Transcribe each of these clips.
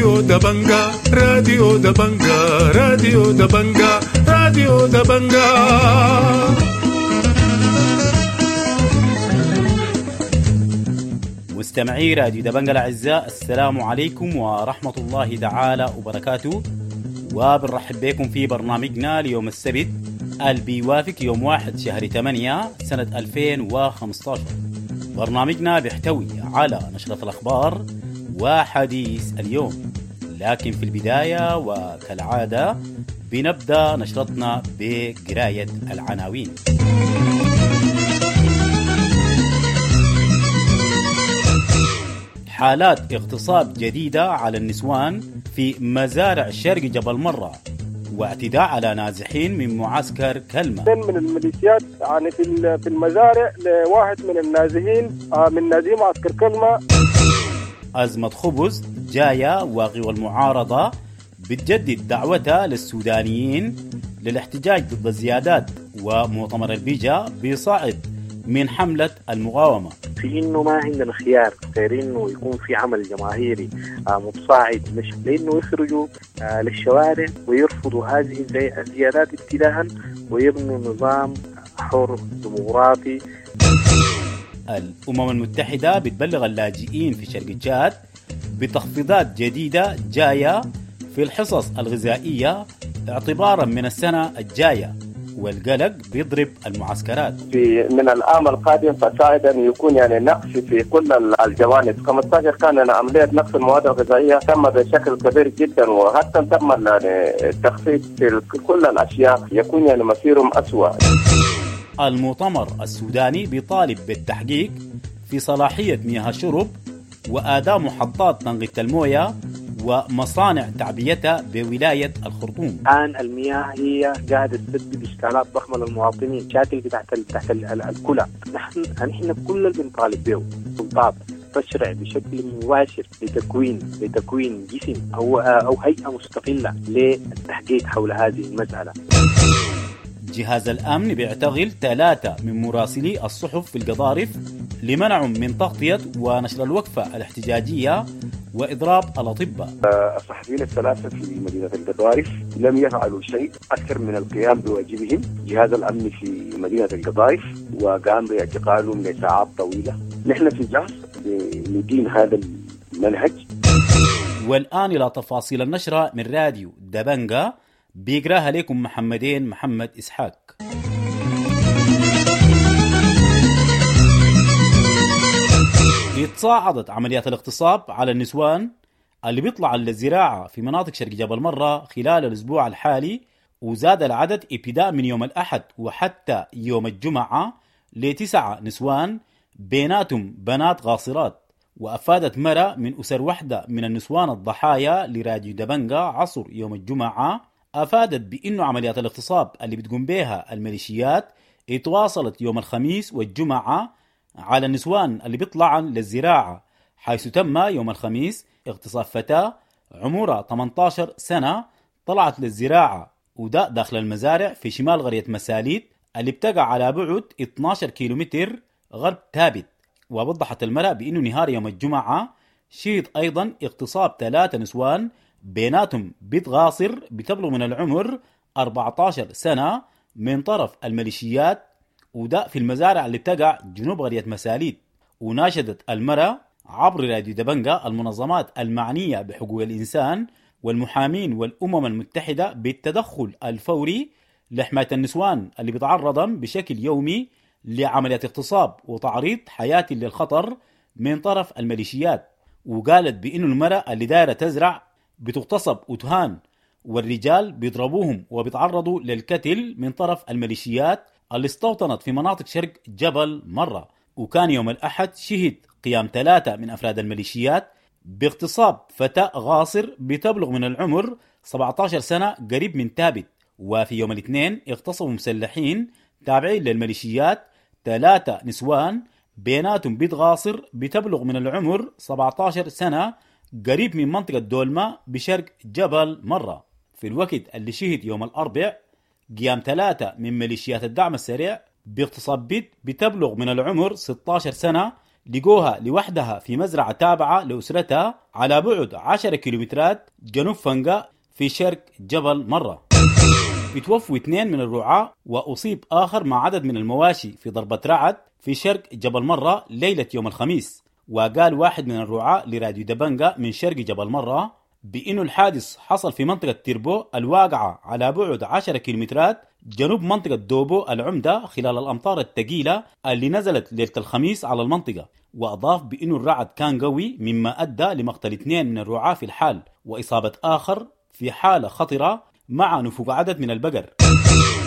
راديو دبنجا، راديو دبنجا، راديو دبنجا، راديو دبنجا. مستمعي راديو دبنجا الأعزاء، السلام عليكم ورحمة الله تعالى وبركاته، وبنرحب بكم في برنامجنا ليوم السبت اللي بيوافق يوم 1 شهر 8 سنة 2015. برنامجنا بيحتوي على نشرة الأخبار وحديث اليوم، لكن في البداية وكالعادة بنبدأ نشرتنا بقراية العناوين. حالات اغتصاب جديدة على النسوان في مزارع شرق جبل مرة، واعتداء على نازحين من معسكر كلمة. من الميليشيات يعني في المزارع لواحد من النازحين من نازحين معسكر كلمة. أزمة خبز جاية وقوى المعارضة بتجدد دعوتها للسودانيين للاحتجاج ضد الزيادات، ومؤتمر البيجا بيصعد من حملة المقاومة. في إنه ما عندنا خيار غير إنه يكون في عمل جماهيري متصاعد، مش لأنه يخرجوا للشوارع ويرفضوا هذه الزيادات ابتداء ويبنوا نظام حر ديمقراطي. الأمم المتحدة بتبلغ اللاجئين في شرق تشاد بتخفيضات جديدة جاية في الحصص الغذائية اعتبارا من السنة الجاية، والقلق بيضرب المعسكرات. في من العام القادم فصاعدا يكون يعني نقص في كل الجوانب. 15 كان عملية نقص المواد الغذائية تم بشكل كبير جدا، وحتى تم يعني التخفيض في كل الأشياء، يكون يعني مصيرهم أسوأ. المؤتمر السوداني بيطالب بالتحقيق في صلاحية مياه الشرب وآداء محطات تنقية الموية ومصانع تعبئتها بولاية الخرطوم. الآن المياه هي قاعدة تسبب إشكالات ضخمة للمواطنين، مشاكل تحت الكلى. نحن كل اللي بنطالب به سلطات تشرع بشكل مباشر لتكوين جسم أو هيئة مستقلة للتحقيق حول هذه المسألة. جهاز الأمن بيعتقل 3 من مراسلي الصحف في القضارف لمنعهم من تغطية ونشر الوقفة الاحتجاجية وإضراب الأطباء. الصحفيين الثلاثة في مدينة القضارف لم يفعلوا شيء أكثر من القيام بواجبهم. جهاز الأمن في مدينة القضارف وقام باعتقالهم لساعات طويلة. نحن في جهاز ندين هذا المنهج. والآن إلى تفاصيل النشرة من راديو دبنجا، بيقراها لكم محمدين محمد إسحاق. اتصاعدت عمليات الاغتصاب على النسوان اللي بيطلع للزراعة في مناطق شرق جبل مرة خلال الأسبوع الحالي، وزاد العدد ابتداء من يوم الأحد وحتى يوم الجمعة ل9 نسوان بيناتهم بنات غاصرات. وأفادت مرة من أسر واحدة من النسوان الضحايا لراديو دبنجا عصر يوم الجمعة، أفادت بأنه عمليات الاغتصاب اللي بتقوم بها الميليشيات اتواصلت يوم الخميس والجمعة على النسوان اللي بيطلعن للزراعة، حيث تم يوم الخميس اغتصاب فتاة عمرها 18 سنة طلعت للزراعة، وده داخل المزارع في شمال قرية مساليت اللي بتقع على بعد 12 كيلومتر غرب تابت. ووضحت المرأة بأنه نهار يوم الجمعة شهد أيضا اغتصاب 3 نسوان بيناتهم بيت غاصر بتبلغ من العمر 14 سنة من طرف الميليشيات، وده في المزارع اللي بتقع جنوب قرية مساليت. وناشدت المرأة عبر راديو دبنجا المنظمات المعنية بحقوق الإنسان والمحامين والأمم المتحدة بالتدخل الفوري لحماية النسوان اللي بيتعرضن بشكل يومي لعمليات اغتصاب وتعريض حياتي للخطر من طرف الميليشيات. وقالت بأنه المرأة اللي دايرة تزرع بتغتصب وتهان، والرجال بيضربوهم وبيتعرضوا للقتل من طرف الميليشيات اللي استوطنت في مناطق شرق جبل مرة. وكان يوم الأحد شهد قيام 3 من أفراد الميليشيات باغتصاب فتاة غاصر بتبلغ من العمر 17 سنة قريب من تابت. وفي يوم الاثنين اغتصبوا مسلحين تابعين للميليشيات 3 نسوان بيناتهم بيت غاصر بتبلغ من العمر 17 سنة قريب من منطقة دولما بشرق جبل مرة. في الوقت اللي شهد يوم الأربع قيام 3 من ميليشيات الدعم السريع باغتصاب بيت بتبلغ من العمر 16 سنة لقوها لوحدها في مزرعة تابعة لأسرتها على بعد 10 كيلومترات جنوب فنقا في شرق جبل مرة. اتوفوا 2 من الرعاة وأصيب آخر مع عدد من المواشي في ضربة رعد في شرق جبل مرة ليلة يوم الخميس. وقال واحد من الرعاة لراديو دبنجا من شرق جبل مرة بأنه الحادث حصل في منطقة تيربو الواقعة على بعد 10 كيلومترات جنوب منطقة دوبو العمدة خلال الأمطار الثقيلة اللي نزلت ليلة الخميس على المنطقة. وأضاف بأنه الرعد كان قوي مما أدى لمقتل 2 من الرعاة في الحال وإصابة آخر في حالة خطرة مع نفوق عدد من البقر.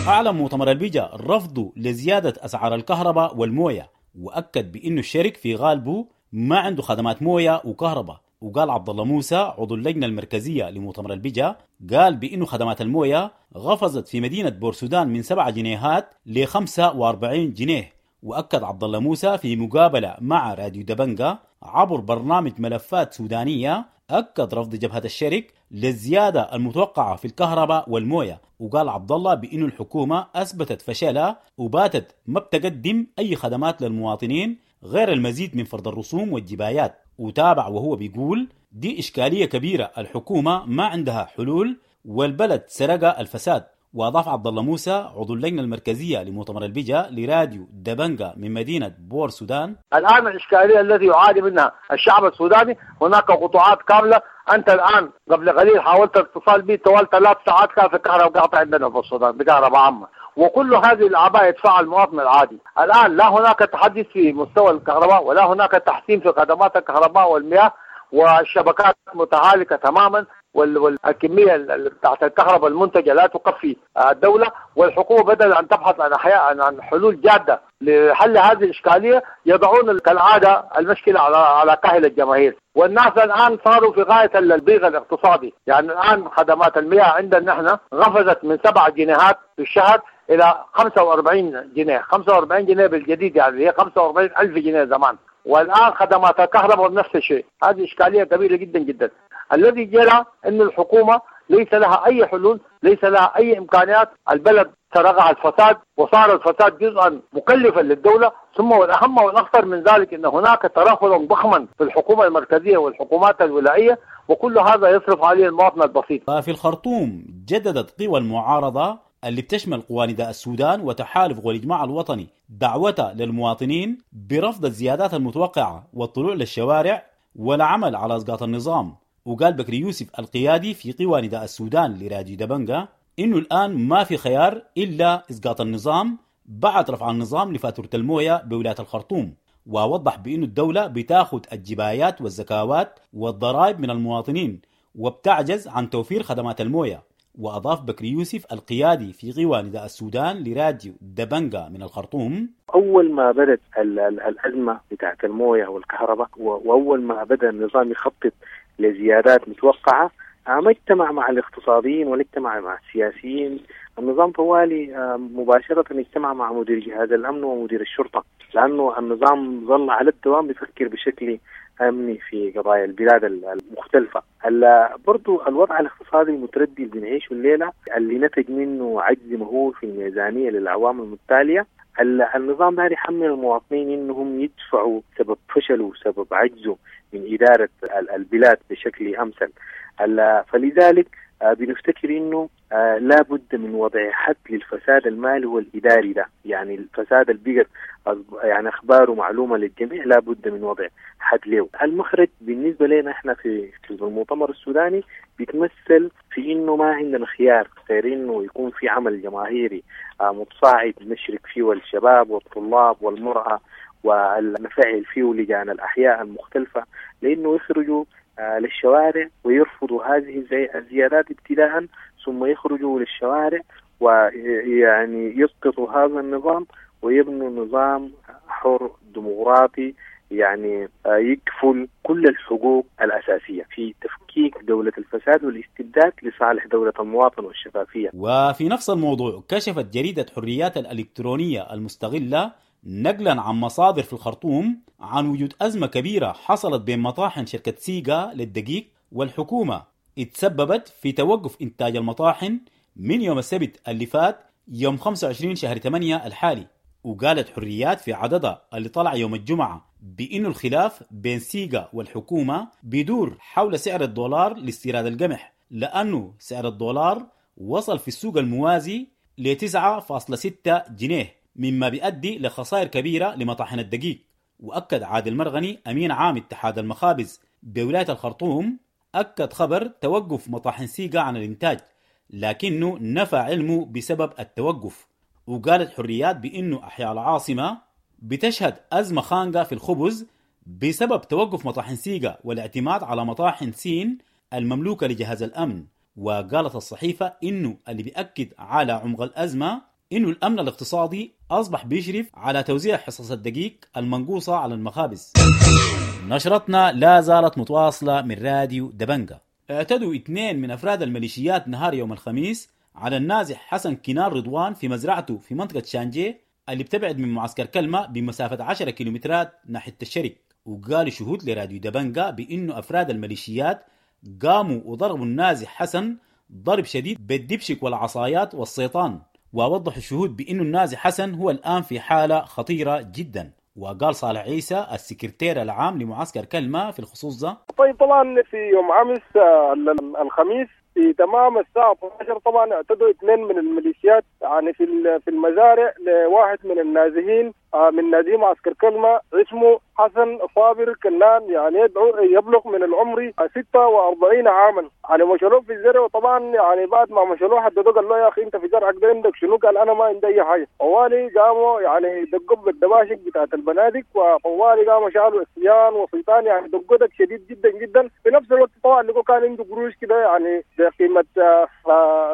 أعلن مؤتمر البيجا رفضه لزيادة أسعار الكهرباء والموية، وأكد بأنه الشرك في غالبه ما عنده خدمات موية وكهرباء. وقال عبد الله موسى عضو اللجنة المركزية لمؤتمر البيجا، قال بأنه خدمات الموية غفزت في مدينة بورسودان من 7 جنيهات ل 45 جنيه. وأكد عبد الله موسى في مقابلة مع راديو دبنجا عبر برنامج ملفات سودانية، أكد رفض جبهة الشرك للزيادة المتوقعة في الكهرباء والموية. وقال عبد الله بأن الحكومة أثبتت فشلها وباتت ما بتقدم أي خدمات للمواطنين غير المزيد من فرض الرسوم والجبايات. وتابع وهو بيقول دي إشكالية كبيرة، الحكومة ما عندها حلول والبلد سرق الفساد. وأضاف عبد الله موسى عضو اللجنة المركزية لمؤتمر البيجا لراديو دبنجا من مدينة بور سودان: الآن الإشكالية التي يعاني منها الشعب السوداني، هناك قطاعات كاملة. أنت الآن قبل قليل حاولت الاتصال بي طوال 3 ساعات كان في الكهرباء قاطع عندنا في السودان بكهرباء عامة، وكل هذه الأعباء يدفعها المواطن العادي. الآن لا هناك تحديث في مستوى الكهرباء ولا هناك تحسين في خدمات الكهرباء والمياه، والشبكات متهالكة تماما، والكمية بتاعت الكهرباء المنتجة لا تكفي الدولة. والحكومة بدل أن تبحث عن حلول جادة لحل هذه الإشكالية يضعون كالعادة المشكلة على كاهل الجماهير. والناس الآن صاروا في غاية الضيق الاقتصادي. يعني الآن خدمات المياه عندنا نحن غفزت من 7 جنيهات في الشهر إلى 45 جنيه، 45 جنيه بالجديد، يعني هي 45,000 جنيه زمان. والآن خدمات الكهرباء بنفس الشيء. هذه إشكالية كبيرة جدا جدا. الذي جرى أن الحكومة ليس لها أي حلول، ليس لها أي إمكانيات. البلد سرقها الفساد، وصار الفساد جزءا مكلفا للدولة. ثم والأهم والأخطر من ذلك أن هناك ترهلا ضخما في الحكومة المركزية والحكومات الولائية، وكل هذا يصرف عليه المواطن البسيط. في الخرطوم جددت قوى المعارضة اللي بتشمل قوى نداء السودان وتحالف قوى الإجماع الوطني دعوتها للمواطنين برفض الزيادات المتوقعة والطلوع للشوارع والعمل على إسقاط النظام. وقال بكري يوسف القيادي في قوى نداء السودان لراديو دبنجا إنه الآن ما في خيار إلا إسقاط النظام بعد رفع النظام لفاتورة الموية بولاية الخرطوم. ووضح بأنه الدولة بتاخد الجبايات والزكاوات والضرائب من المواطنين وبتعجز عن توفير خدمات الموية. وأضاف بكري يوسف القيادي في قوى نداء السودان لراديو دبنجا من الخرطوم: أول ما بدأت الأزمة بتاعت الموية والكهرباء، وأول ما بدأ النظام يخطط لزيادات متوقعة، ما اجتمع مع الاقتصاديين ولا اجتمع مع السياسيين. النظام طوالي مباشرة اجتمع مع مدير جهاز الأمن ومدير الشرطة، لأنه النظام ظل على الدوام بيفكر بشكل أمني في قضايا البلاد المختلفة. برضو الوضع الاقتصادي المتردي اللي بنعيشه الليلة، اللي نتج منه عجز مهول في الميزانية للأعوام المتتالية، النظام ده يحمل المواطنين انهم يدفعوا سبب فشله وسبب عجزه من إدارة البلاد بشكل أمثل. فلذلك بنفتكر انه لا بد من وضع حد للفساد المالي والإداري ده، يعني الفساد البيقر يعني أخباره معلومة للجميع، لا بد من وضع حد له. المخرج بالنسبة لنا احنا في المؤتمر السوداني بيتمثل في انه ما عندنا خيار غير انه يكون في عمل جماهيري متصاعد نشرك فيه الشباب والطلاب والمرأة ونفعل فيه لجان الأحياء المختلفة، لأنه يخرجوا للشوارع ويرفضوا هذه الزيادات ابتداء، ثم يخرجوا للشوارع ويعني يسقطوا هذا النظام ويبنوا نظام حر ديمقراطي يعني يكفل كل الحقوق الأساسية في تفكيك دولة الفساد والاستبداد لصالح دولة المواطن والشفافية. وفي نفس الموضوع كشفت جريدة حريات الإلكترونية المستغلة نقلا عن مصادر في الخرطوم عن وجود أزمة كبيرة حصلت بين مطاحن شركة سيجا للدقيق والحكومة، اتسببت في توقف إنتاج المطاحن من يوم السبت اللي فات يوم 25 شهر 8 الحالي. وقالت حريات في عددها اللي طلع يوم الجمعة بأنه الخلاف بين سيغا والحكومة بيدور حول سعر الدولار لاستيراد القمح، لأنه سعر الدولار وصل في السوق الموازي ل 9.6 جنيه، مما بيؤدي لخسائر كبيرة لمطاحن الدقيق. وأكد عادل مرغني أمين عام اتحاد المخابز بولاية الخرطوم أكد خبر توقف مطاحن سيغا عن الإنتاج، لكنه نفى علمه بسبب التوقف. وقالت حريات بأنه أحياء العاصمة بتشهد أزمة خانقة في الخبز بسبب توقف مطاحن سيغا والاعتماد على مطاحن سين المملوكة لجهاز الأمن. وقالت الصحيفة إنه اللي بيأكد على عمق الأزمة إنه الأمن الاقتصادي أصبح بيشرف على توزيع حصص الدقيق المنقوصة على المخابز. نشرتنا لا زالت متواصلة من راديو دبنجة. اعتدوا 2 من أفراد الميليشيات نهار يوم الخميس على النازح حسن كنار رضوان في مزرعته في منطقة شانجي اللي بتبعد من معسكر كلمة بمسافة 10 كيلومترات ناحية الشرق. وقال شهود لراديو دبنجة بأنه أفراد الميليشيات قاموا وضربوا النازح حسن ضرب شديد بالدبشك والعصايات والسيطان. ووضح الشهود بأنه النازح حسن هو الآن في حالة خطيرة جدا. وقال صالح عيسى السكرتير العام لمعسكر كلمة في الخصوص ده: طيب طبعا في يوم أمس الخميس في تمام الساعة 12 طبعا اعتدوا 2 من الميليشيات يعني في المزارع لواحد من النازحين من نازحي معسكر كلمة اسمه حسن صابر كنان، يعني يبلغ من العمر 46 عاما. يعني مشلوه في الزرع، وطبعا يعني بعد ما مشلوه حددوه قال له يا اخي انت في زرعك ده عندك شنو؟ قال انا ما عندي اي حاجه. طوالي قاموا يعني دقوا بالدباشق بتاعت البنادق، وطوالي قاموا شالوا اسيان وسيطان، يعني دقوا دق شديد جدا جدا. في نفس الوقت طبعا لقوا كان عنده قروش كده يعني بقيمه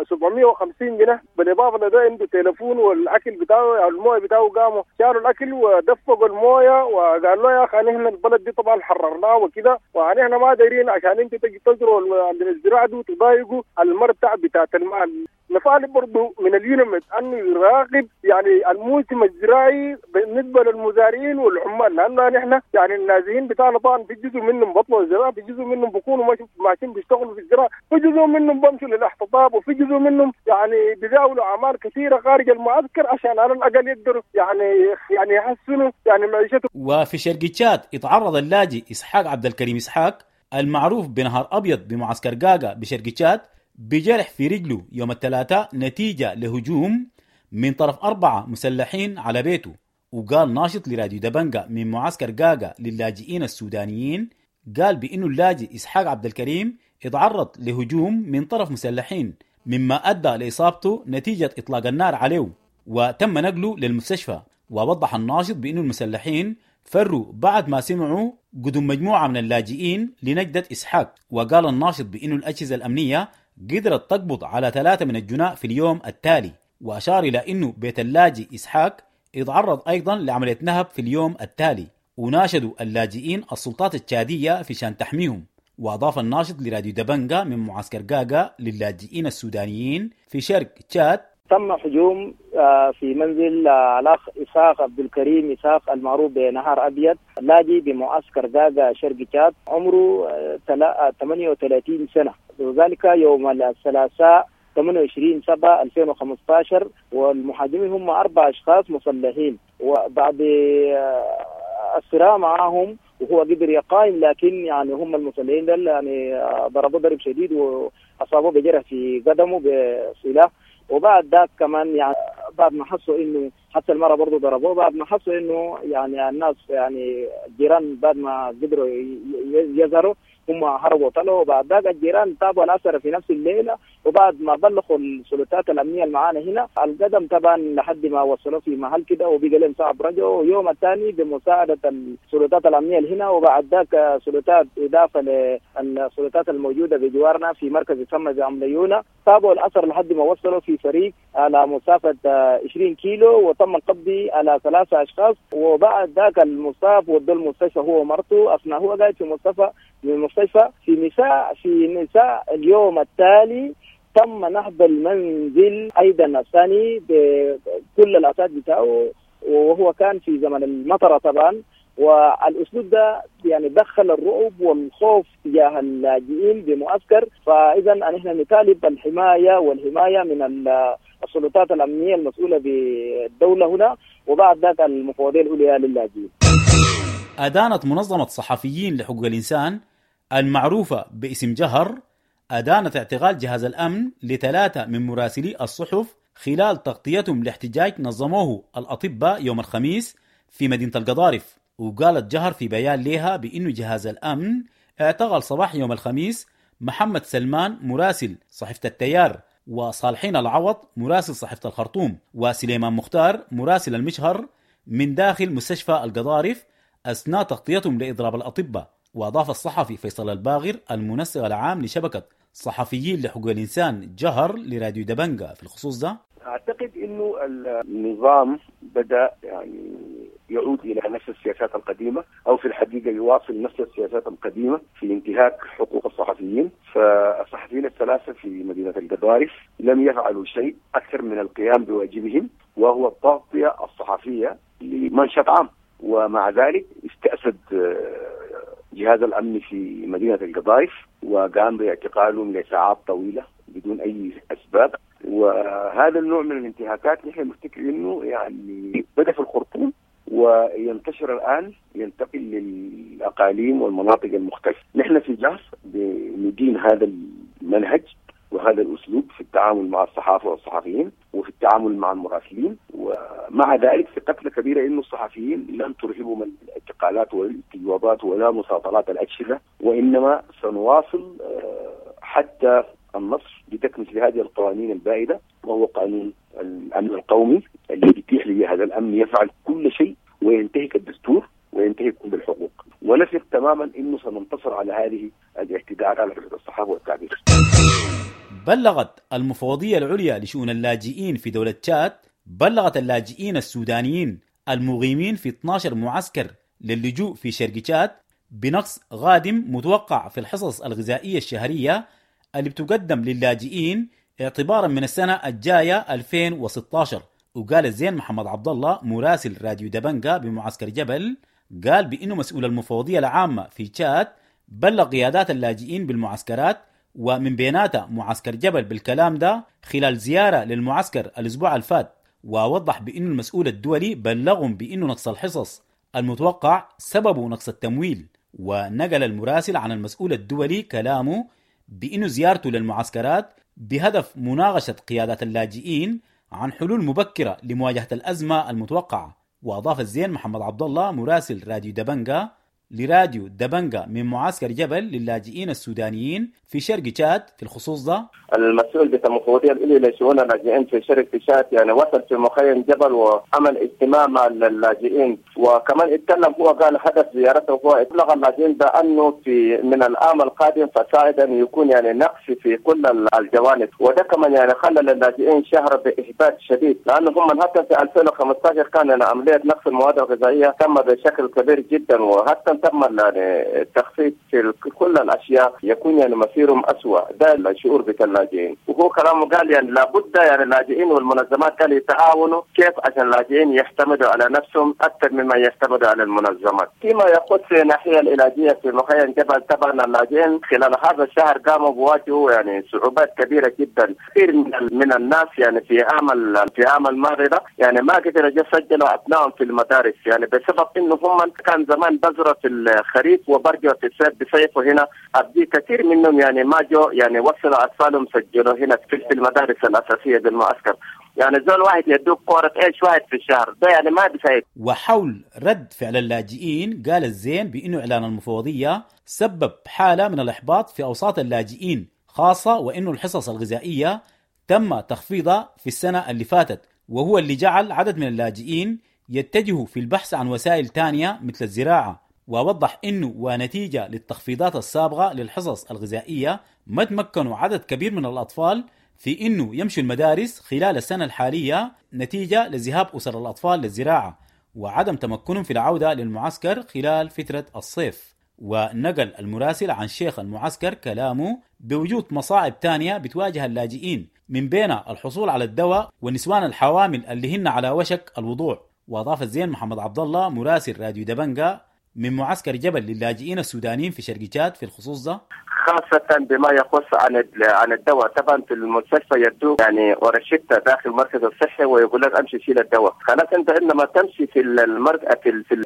750 جنيه، بالاضافه لده عنده تليفون والاكل بتاعه يعني المويه بتاعه، قاموا شالوا الاكل ودفقوا المويه وقال له يا اخي نحن البلد دي طبعا حررناه وكده، ونحن ما دايرين عشان انتوا تجي تزرعوا الزراعه دي وتضايقوا المرتع بتاعت المال. نطالب برضه من اليونمت انه يراقب يعني الموسم الزراعي بالنسبه للمزارعين والعمال، لانه نحن يعني النازحين بتاعنا طبعا في جزء منهم بطلوا الزراعه، في جزء منهم بيكونوا ماشيين بيشتغلوا في الزراعه، في جزء منهم بمشوا للاحتطاب، وفي جزء منهم يعني بيزاولوا اعمال كثيره خارج المعسكر عشان على الاقل يقدروا يعني يحسنوا يعني معيشتهم. وفي شرق تشاد اتعرض اللاجئ اسحاق عبد الكريم اسحاق المعروف بنهار ابيض بمعسكر قاقا بشرق تشاد بجرح في رجله يوم الثلاثاء نتيجة لهجوم من طرف 4 مسلحين على بيته. وقال ناشط لراديو دبنجة من معسكر قاقا للاجئين السودانيين، قال بأنه اللاجئ إسحاق عبد الكريم اتعرض لهجوم من طرف مسلحين مما أدى لإصابته نتيجة إطلاق النار عليه، وتم نقله للمستشفى. ووضح الناشط بأنه المسلحين فروا بعد ما سمعوا قدوم مجموعة من اللاجئين لنجدة إسحاق. وقال الناشط بأنه الأجهزة الأمنية قدرت تقبض على 3 من الجناء في اليوم التالي، وأشار إلى أنه بيت اللاجئ إسحاق اتعرض أيضا لعملية نهب في اليوم التالي، وناشدوا اللاجئين السلطات التشادية في شان تحميهم. وأضاف الناشط لراديو دبنجة من معسكر قاقا للاجئين السودانيين في شرق تشاد: تم هجوم في منزل الأخ إسحاق عبد الكريم إسحاق المعروف بنهار أبيض، لاجئ بمعسكر قاقا شرق تشاد، عمره 38 سنة، وذلك يوم الثلاثاء 28/7/2015. والمهاجمين هم 4 أشخاص مسلحين، وبعد الصراع معهم وهو قدر يقاوم، لكن يعني هم المسلحين دول يعني ضربوه ضرب شديد وأصابوه بجرح في قدمه بسلاح. وبعد ذاك كمان يعني بعد ما حسوا انه حتى المره برضه ضربوه، بعد ما حسوا انه يعني الناس يعني الجيران بعد ما قدروا يظهروا هم هربوا طلعوا. وبعد ذاك الجيران تابوا الاثر في نفس الليله، وبعد ما بلغوا السلطات الامنيه اللي معانا هنا القدم طبعا لحد ما وصلوا في محل كده وبقى لهم صعب رجعوا. يوم الثاني بمساعده السلطات الامنيه اللي هنا، وبعد ذاك سلطات اضافه للسلطات الموجوده بجوارنا في مركز يسمى بعمليونه، تابعوا الاثر لحد ما وصلوا في فريق على مسافه 20 كيلو، وتم القبض على 3 اشخاص. وبعد ذاك المصاب ودوا المستشفى هو ومرته، اثناء هو قاعد في المستشفى في مساء اليوم التالي تم نهب المنزل ايضا الثاني بكل الاثاث بتاعه، وهو كان في زمن المطره طبعا. والاسلوب ده يعني دخل الرعب والخوف تجاه اللاجئين بمعسكر. فاذا نحن نطالب الحمايه والحمايه من السلطات الامنيه المسؤوله بالدوله هنا، وبعد ذاك المفوضيه العليا للاجئين. أدانت منظمة صحفيين لحقوق الإنسان المعروفة باسم جهر، أدانت اعتقال جهاز الأمن ل3 من مراسلي الصحف خلال تغطيتهم لاحتجاج نظموه الأطباء يوم الخميس في مدينة القضارف. وقالت جهر في بيان لها بأنه جهاز الأمن اعتقل صباح يوم الخميس محمد سلمان مراسل صحيفة التيار، وصالحين العوض مراسل صحيفة الخرطوم، وسليمان مختار مراسل المشهر من داخل مستشفى القضارف أثناء تغطيتهم لإضراب الأطباء. وأضاف الصحفي فيصل الباغر المنسق العام لشبكة صحفيين لحقوق الإنسان جهر لراديو دبنجا في الخصوص ده: أعتقد أنه النظام بدأ يعني يعود إلى نفس السياسات القديمة، أو في الحقيقة يواصل نفس السياسات القديمة في انتهاك حقوق الصحفيين. فالصحفيين الثلاثة في مدينة القضارف لم يفعلوا شيء أكثر من القيام بواجبهم، وهو التغطية الصحفية لمنشط عام، ومع ذلك استأسد جهاز الأمن في مدينة القضارف وقام باعتقالهم لساعات طويلة بدون أي أسباب. وهذا النوع من الانتهاكات نحن نفتكر انه يعني بدأ في الخرطوم وينتشر الآن، ينتقل للأقاليم والمناطق المختلفة. نحن في جهر بندين هذا المنهج وهذا الأسلوب في التعامل مع الصحافة والصحفيين وفي التعامل مع المراسلين، ومع ذلك ثقتنا كبيرة إنه الصحفيين لن ترهبهم الاعتقالات والاستجوابات ولا مساطرات الأجهزة، وإنما سنواصل حتى النصر بتكملة هذه القوانين البائدة، وهو قانون الأمن القومي اللي بيتيح لهذا الأمن يفعل كل شيء وينتهك الدستور وينتهك كل الحقوق. ونثق تماما أنه سننتصر على هذه الاعتداءات على حرية الصحافة والتعبير. بلغت المفوضية العليا لشؤون اللاجئين في دولة تشاد بلغت اللاجئين السودانيين المقيمين في 12 معسكر للجوء في شرق تشاد بنقص غادم متوقع في الحصص الغذائية الشهرية اللي بتقدم للاجئين اعتبارا من السنة الجاية 2016. وقال الزين محمد عبد الله مراسل راديو دبنجا بمعسكر جبل، قال بأنه مسؤول المفوضية العامة في تشاد بلغ قيادات اللاجئين بالمعسكرات ومن بيناتها معسكر جبل بالكلام ده خلال زيارة للمعسكر الأسبوع الفات، ووضح بأنه المسؤول الدولي بلغهم بأنه نقص الحصص المتوقع سببه نقص التمويل. ونقل المراسل عن المسؤول الدولي كلامه بأنه زيارته للمعسكرات بهدف مناقشة قيادات اللاجئين عن حلول مبكرة لمواجهة الأزمة المتوقعة. وأضاف الزين محمد عبد الله مراسل راديو دبنجا لراديو دبنجا من معسكر جبل للاجئين السودانيين في شرق تشاد في الخصوص ده: المسؤول بتاع المفوضية العليا لشؤون اللاجئين في شرق تشاد يعني وصل في مخيم جبل وعمل اجتماع مع اللاجئين، وكمان اتكلم هو قال هدف زيارته هو ابلغ اللاجئين بانه في من العام القادم فصاعدا يكون يعني نقص في كل الجوانب، وده كمان يعني خلى اللاجئين شهر باحباط شديد، لانه هم حتى في 2015 كان يعني عملية نقص المواد الغذائية تم بشكل كبير جدا، وحتى تم يعني التخفيض في كل الاشياء يكون يعني مصيرهم اسوء. ده الشعور بتاع اللاجئين. وهو كلامه قال يعني لابد يعني اللاجئين والمنظمات قال يتعاونوا كيف عشان اللاجئين يعتمدوا على نفسهم اكثر مما يعتمدوا على المنظمات. فيما يخص الناحية العلاجية في مخيم جبل، طبعا اللاجئين خلال هذا الشهر قاموا بواجهوا يعني صعوبات كبيرة جدا. كثير من الناس يعني في عام الماضي ده يعني ما قدروا يسجلوا ابنائهم في المدارس، يعني بسبب انه هم كان زمان بذرة في الخريف وبرجعوا في الصيف بصيفوا هنا. أبدي كثير منهم يعني ما جو يعني وصلوا أطفالهم سجلوا هنا في المدارس الأساسية بالمعسكر. يعني زول واحد يدوك قارة عيش واحد في الشهر ده يعني ما بيساعد. وحول رد فعل اللاجئين قال الزين بأنه إعلان المفوضية سبب حالة من الإحباط في أوساط اللاجئين، خاصة وأنه الحصص الغذائية تم تخفيضها في السنة اللي فاتت، وهو اللي جعل عدد من اللاجئين يتجهوا في البحث عن وسائل تانية مثل الزراعة. ووضح أنه ونتيجة للتخفيضات السابقة للحصص الغذائية ما تمكنوا عدد كبير من الأطفال في أنه يمشوا المدارس خلال السنة الحالية نتيجة لذهاب أسر الأطفال للزراعة وعدم تمكنهم في العودة للمعسكر خلال فترة الصيف. ونقل المراسل عن شيخ المعسكر كلامه بوجود مصاعب تانية بتواجه اللاجئين من بين الحصول على الدواء والنسوان الحوامل اللي هن على وشك الوضوع. وأضاف الزين محمد عبد الله مراسل راديو دبنجا من معسكر جبل للاجئين السودانيين في شرق تشاد في الخصوص ده: خاصة بما يخص عن الدواء. طبعا في المستشفى يدوك يعني ورشدة داخل المركز الصحي ويقول لك امشي شيل الدواء، خلاص انت عندما تمشي في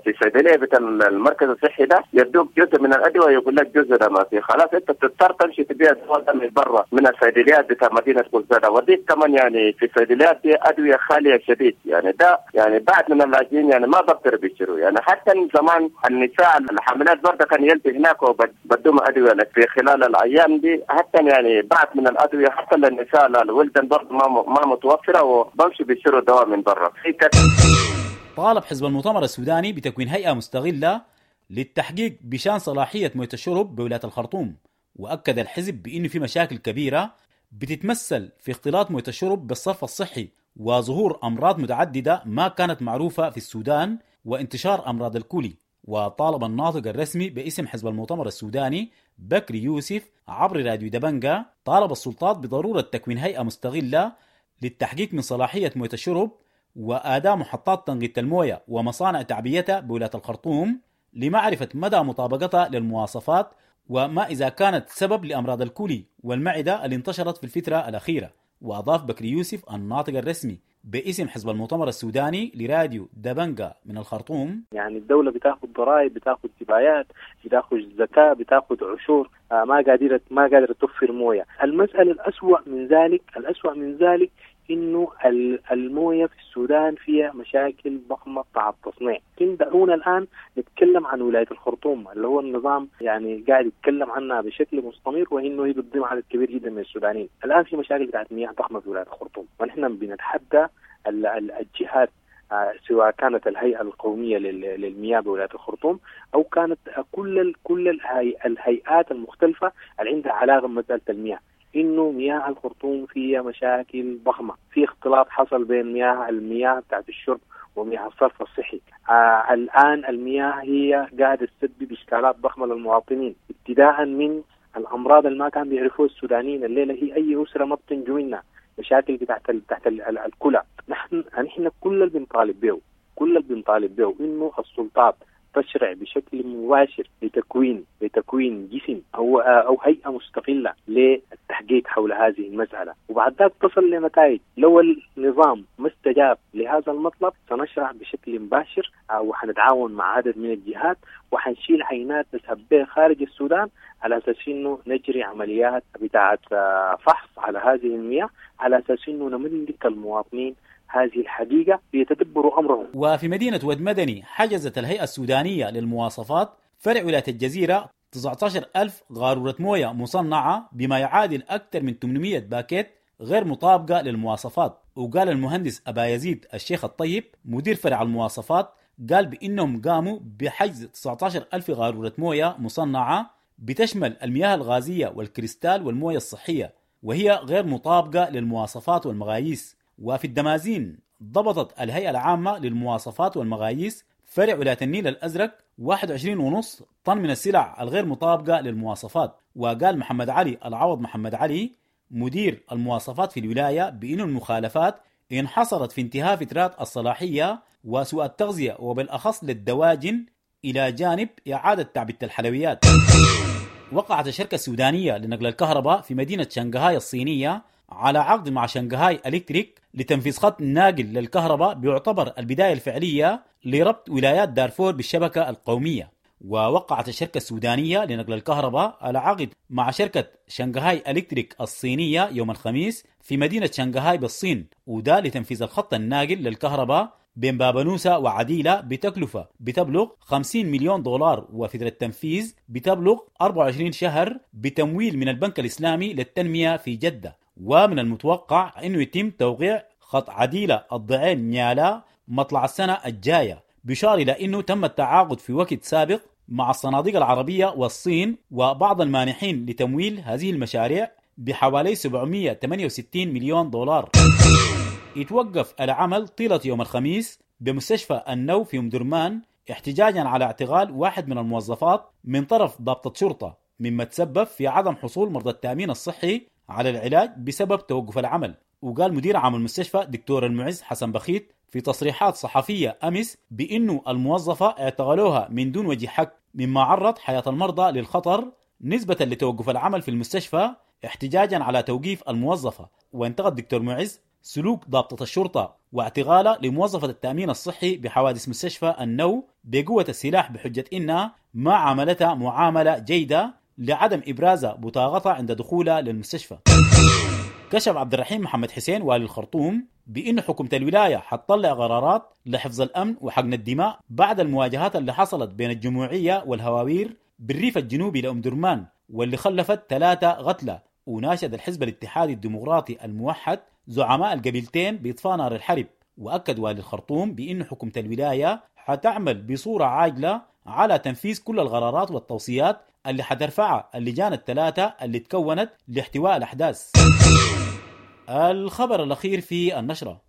في الصيدلية بتاع المركز الصحي ده يدوك جزء من الادوية يقول لك جزء ده ما في، خلاص انت تضطر تمشي تبيع الدواء ده من برا من الصيدليات بتاع مدينة كوزادا. ودي كمان يعني في الصيدليات دي ادوية خالية شديد، يعني ده يعني بعد من اللاجئين يعني ما بقدر بيشتروا، يعني حتى زمان النساء الحاملات برضه كان يلتي هناك وبدوم ادوية في خلال الايام دي، حتى يعني بعد من الادوية حتى للنساء الولدان برضه ما متوفرة وبمشي بيشتروا دواء من برا. طالب حزب المؤتمر السوداني بتكوين هيئة مستغله للتحقيق بشان صلاحية مويه الشرب بولاية الخرطوم، واكد الحزب بانه في مشاكل كبيرة بتتمثل في اختلاط مويه الشرب بالصرف الصحي وظهور امراض متعددة ما كانت معروفة في السودان وانتشار امراض الكولي. وطالب الناطق الرسمي باسم حزب المؤتمر السوداني بكري يوسف عبر راديو دبنجا طالب السلطات بضرورة تكوين هيئة مستغلة للتحقيق من صلاحية موية الشرب وآداء محطات تنقية الموية ومصانع تعبئتها بولاية الخرطوم لمعرفة مدى مطابقتها للمواصفات وما إذا كانت سبب لأمراض الكولي والمعدة اللي انتشرت في الفترة الأخيرة. وأضاف بكري يوسف الناطق الرسمي باسم حزب المؤتمر السوداني لراديو دبنجا من الخرطوم: يعني الدولة بتاخذ ضرائب، بتاخذ جبايات، بتاخذ زكاة، بتاخذ عشور، ما قادرة توفر موية. المسألة الأسوأ من ذلك إنه الموية في السودان فيها مشاكل ضخمة بتاع التصنيع. لكن دعونا الآن نتكلم عن ولاية الخرطوم اللي هو النظام يعني قاعد يتكلم عنها بشكل مستمر، وإنه هي بتضم عدد كبير جدا من السودانيين. الآن في مشاكل بتاعت مياه ضخمة في ولاية الخرطوم، ونحن بنتحدى الجهات سواء كانت الهيئة القومية للمياه بولاية الخرطوم أو كانت كل الهيئات المختلفة اللي عندها علاقة بمسألة المياه، إنه مياه الخرطوم فيها مشاكل ضخمة، في اختلاط حصل بين المياه بتاعت الشرب ومياه الصرف الصحي. الآن المياه هي قاعدة تسبب إشكالات ضخمة للمواطنين، ابتداء من الأمراض اللي ما كان بيعرفوها السودانيين، الليلة هي أي أسرة ما بتنجو منها، مشاكل بتاعت الكلى. نحن كل اللي بنطالب به إنه السلطات تشرع بشكل مباشر لتكوين جسم أو هيئة مستقلة للتحقيق حول هذه المسألة، وبعد ذلك تصل لنتائج. لو النظام ما استجاب لهذا المطلب سنشرع بشكل مباشر، وحنتعاون مع عدد من الجهات، وحنشيل عينات نذهب بها خارج السودان على أساس إنه نجري عمليات بتاعة فحص على هذه المياه، على أساس إنه نملك المواطنين هذه الحقيقة ليتدبروا أمرهم. وفي مدينة ود مدني حجزت الهيئة السودانية للمواصفات فرع ولاية الجزيرة 19,000 غارورة موية مصنعة بما يعادل أكثر من 800 باكيت غير مطابقة للمواصفات. وقال المهندس أبا يزيد الشيخ الطيب مدير فرع المواصفات، قال بأنهم قاموا بحجز 19,000 غارورة موية مصنعة بتشمل المياه الغازية والكريستال والموية الصحية، وهي غير مطابقة للمواصفات والمقاييس. وفي الدمازين ضبطت الهيئة العامة للمواصفات والمقاييس فرع ولاية النيل الأزرق 21.5 طن من السلع الغير مطابقة للمواصفات. وقال محمد علي العوض محمد علي مدير المواصفات في الولاية بأن المخالفات انحصرت في انتهاء فترات الصلاحية وسوء التغذية وبالأخص للدواجن، إلى جانب إعادة تعبئة الحلويات. وقعت الشركة السودانية لنقل الكهرباء في مدينة شنغهاي الصينية على عقد مع شنغهاي إلكتريك لتنفيذ خط ناقل للكهرباء بيعتبر البداية الفعلية لربط ولايات دارفور بالشبكة القومية. ووقعت الشركة السودانية لنقل الكهرباء على عقد مع شركة شنغهاي إلكتريك الصينية يوم الخميس في مدينة شنغهاي بالصين، وده لتنفيذ الخط الناقل للكهرباء بين بابنوسة وعديلة بتكلفة بتبلغ 50 مليون دولار، وفترة التنفيذ بتبلغ 24 شهر بتمويل من البنك الإسلامي للتنمية في جدة. ومن المتوقع أنه يتم توقيع خط عديلة الضعين نيالا مطلع السنة الجاية، بشار إلى أنه تم التعاقد في وقت سابق مع الصناديق العربية والصين وبعض المانحين لتمويل هذه المشاريع بحوالي 768 مليون دولار. يتوقف العمل طيلة يوم الخميس بمستشفى النو في مدرمان احتجاجا على اعتقال واحد من الموظفات من طرف ضابطة شرطة، مما تسبب في عدم حصول مرضى التأمين الصحي على العلاج بسبب توقف العمل. وقال مدير عام المستشفى دكتور المعز حسن بخيت في تصريحات صحفية أمس بأنه الموظفة اعتقلوها من دون وجه حق، مما عرض حياة المرضى للخطر نسبة لتوقف العمل في المستشفى احتجاجا على توقيف الموظفة. وانتقد دكتور معز سلوك ضابطة الشرطة واعتقالها لموظفة التأمين الصحي بحوادث مستشفى النو بقوة السلاح بحجة إنها ما عاملتها معاملة جيدة لعدم إبراز بطاقتها عند دخولها للمستشفى. كشف عبد الرحيم محمد حسين والي الخرطوم بأن حكومة الولاية حتطلع قرارات لحفظ الأمن وحقن الدماء بعد المواجهات اللي حصلت بين الجموعية والهواوير بالريف الجنوبي لأم درمان واللي خلفت 3 قتلى. وناشد الحزب الاتحادي الديمقراطي الموحد زعماء القبيلتين بإطفاء نار الحرب. وأكد والي الخرطوم بأن حكومة الولاية حتعمل بصورة عاجلة على تنفيذ كل القرارات والتوصيات اللي حترفعها اللجان 3 اللي تكونت لاحتواء الأحداث. الخبر الأخير في النشرة: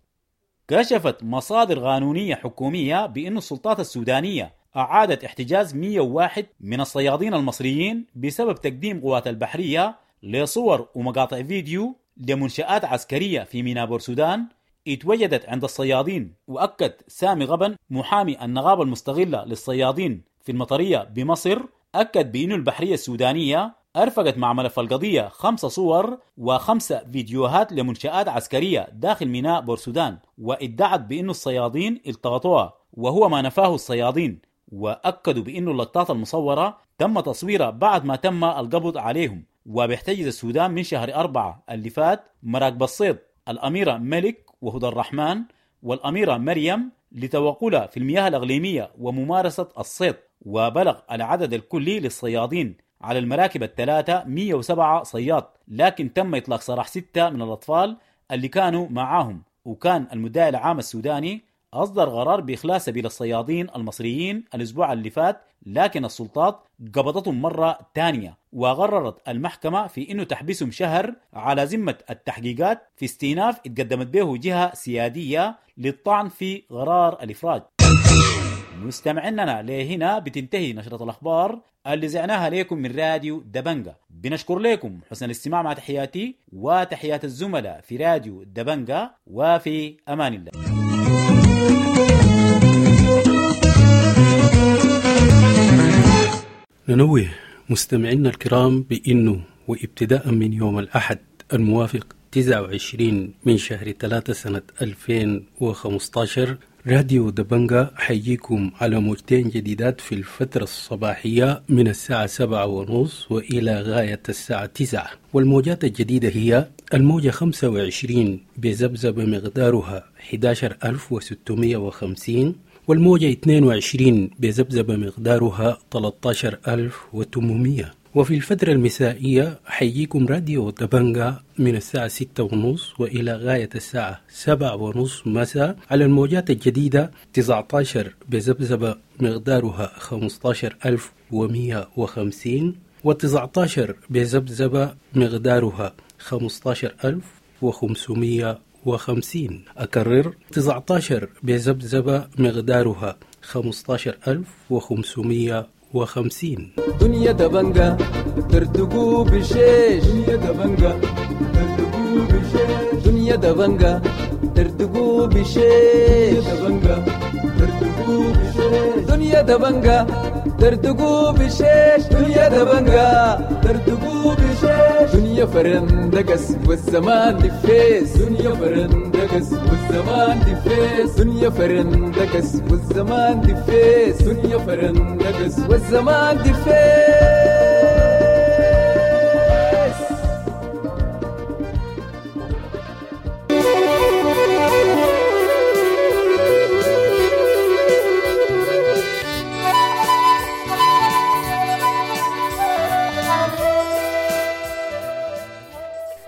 كشفت مصادر قانونية حكومية بأن السلطات السودانية أعادت احتجاز 101 من الصيادين المصريين بسبب تقديم قوات البحرية لصور ومقاطع فيديو لمنشآت عسكرية في ميناء بورسودان اتوجدت عند الصيادين. وأكد سامي غبن محامي النقابة المستغلة للصيادين في المطرية بمصر أكد بأن البحرية السودانية أرفقت مع ملف القضية 5 صور و5 فيديوهات لمنشآت عسكرية داخل ميناء بورسودان، وادعت بأن الصيادين التقطوها وهو ما نفاه الصيادين، وأكدوا بأن اللقطات المصورة تم تصويرها بعد ما تم القبض عليهم. وبيحتجز السودان من شهر 4 اللي فات مراكب الصيد الأميرة ملك وهدى الرحمن والأميرة مريم لتوغلها في المياه الإقليمية وممارسة الصيد. وبلغ العدد الكلي للصيادين على المراكب 3 107 صياد، لكن تم إطلاق سراح 6 من الأطفال اللي كانوا معاهم. وكان المدعي العام السوداني أصدر قرار بإخلاء سبيل الصيادين المصريين الأسبوع اللي فات، لكن السلطات قبضتهم مرة تانية وقررت المحكمة في إنه تحبسهم شهر على ذمة التحقيقات في استئناف اتقدمت به جهة سيادية للطعن في قرار الإفراج. مستمعيننا لهنا بتنتهي نشرة الأخبار اللي زعناها لكم من راديو دبنجا. بنشكر لكم حسن الاستماع، مع تحياتي وتحيات الزملاء في راديو دبنجا، وفي أمان الله. ننوه مستمعينا الكرام بأنه وابتداء من يوم الأحد الموافق 29 من شهر 3 سنة 2015 راديو دبنجا حيجيكم على موجتين جديدات في الفترة الصباحية من الساعة 7:30 وإلى غاية الساعة 9. والموجات الجديدة هي الموجة 25 بذبذبة مقدارها 11650، والموجة 22 بذبذبة مقدارها 13800. وفي الفترة المسائية حيجيكم راديو دبنجا من الساعة 6:30 وإلى غاية الساعة 7:30 مساء على الموجات الجديدة 19 بذبذبة مقدارها 15150، و19 بذبذبة مقدارها 15550. أكرر 19 بذبذبة مقدارها 15550. دنيا دبنجا ترتقو بشيش، دنيا دبنجا ترتقو بشيش، دنيا دبنجا ترتقو بشيش، دبنجا ترتقو بشيش، دنيا دبنجا ترتقو بشيش، دنيا دبنجا ترتقو بشيش، دنيا فرندقس والزمان دفيس، دنيا فرندقس والزمان دفيس، دنيا فرندقس والزمان دفيس، دنيا فرندقس والزمان دفيس.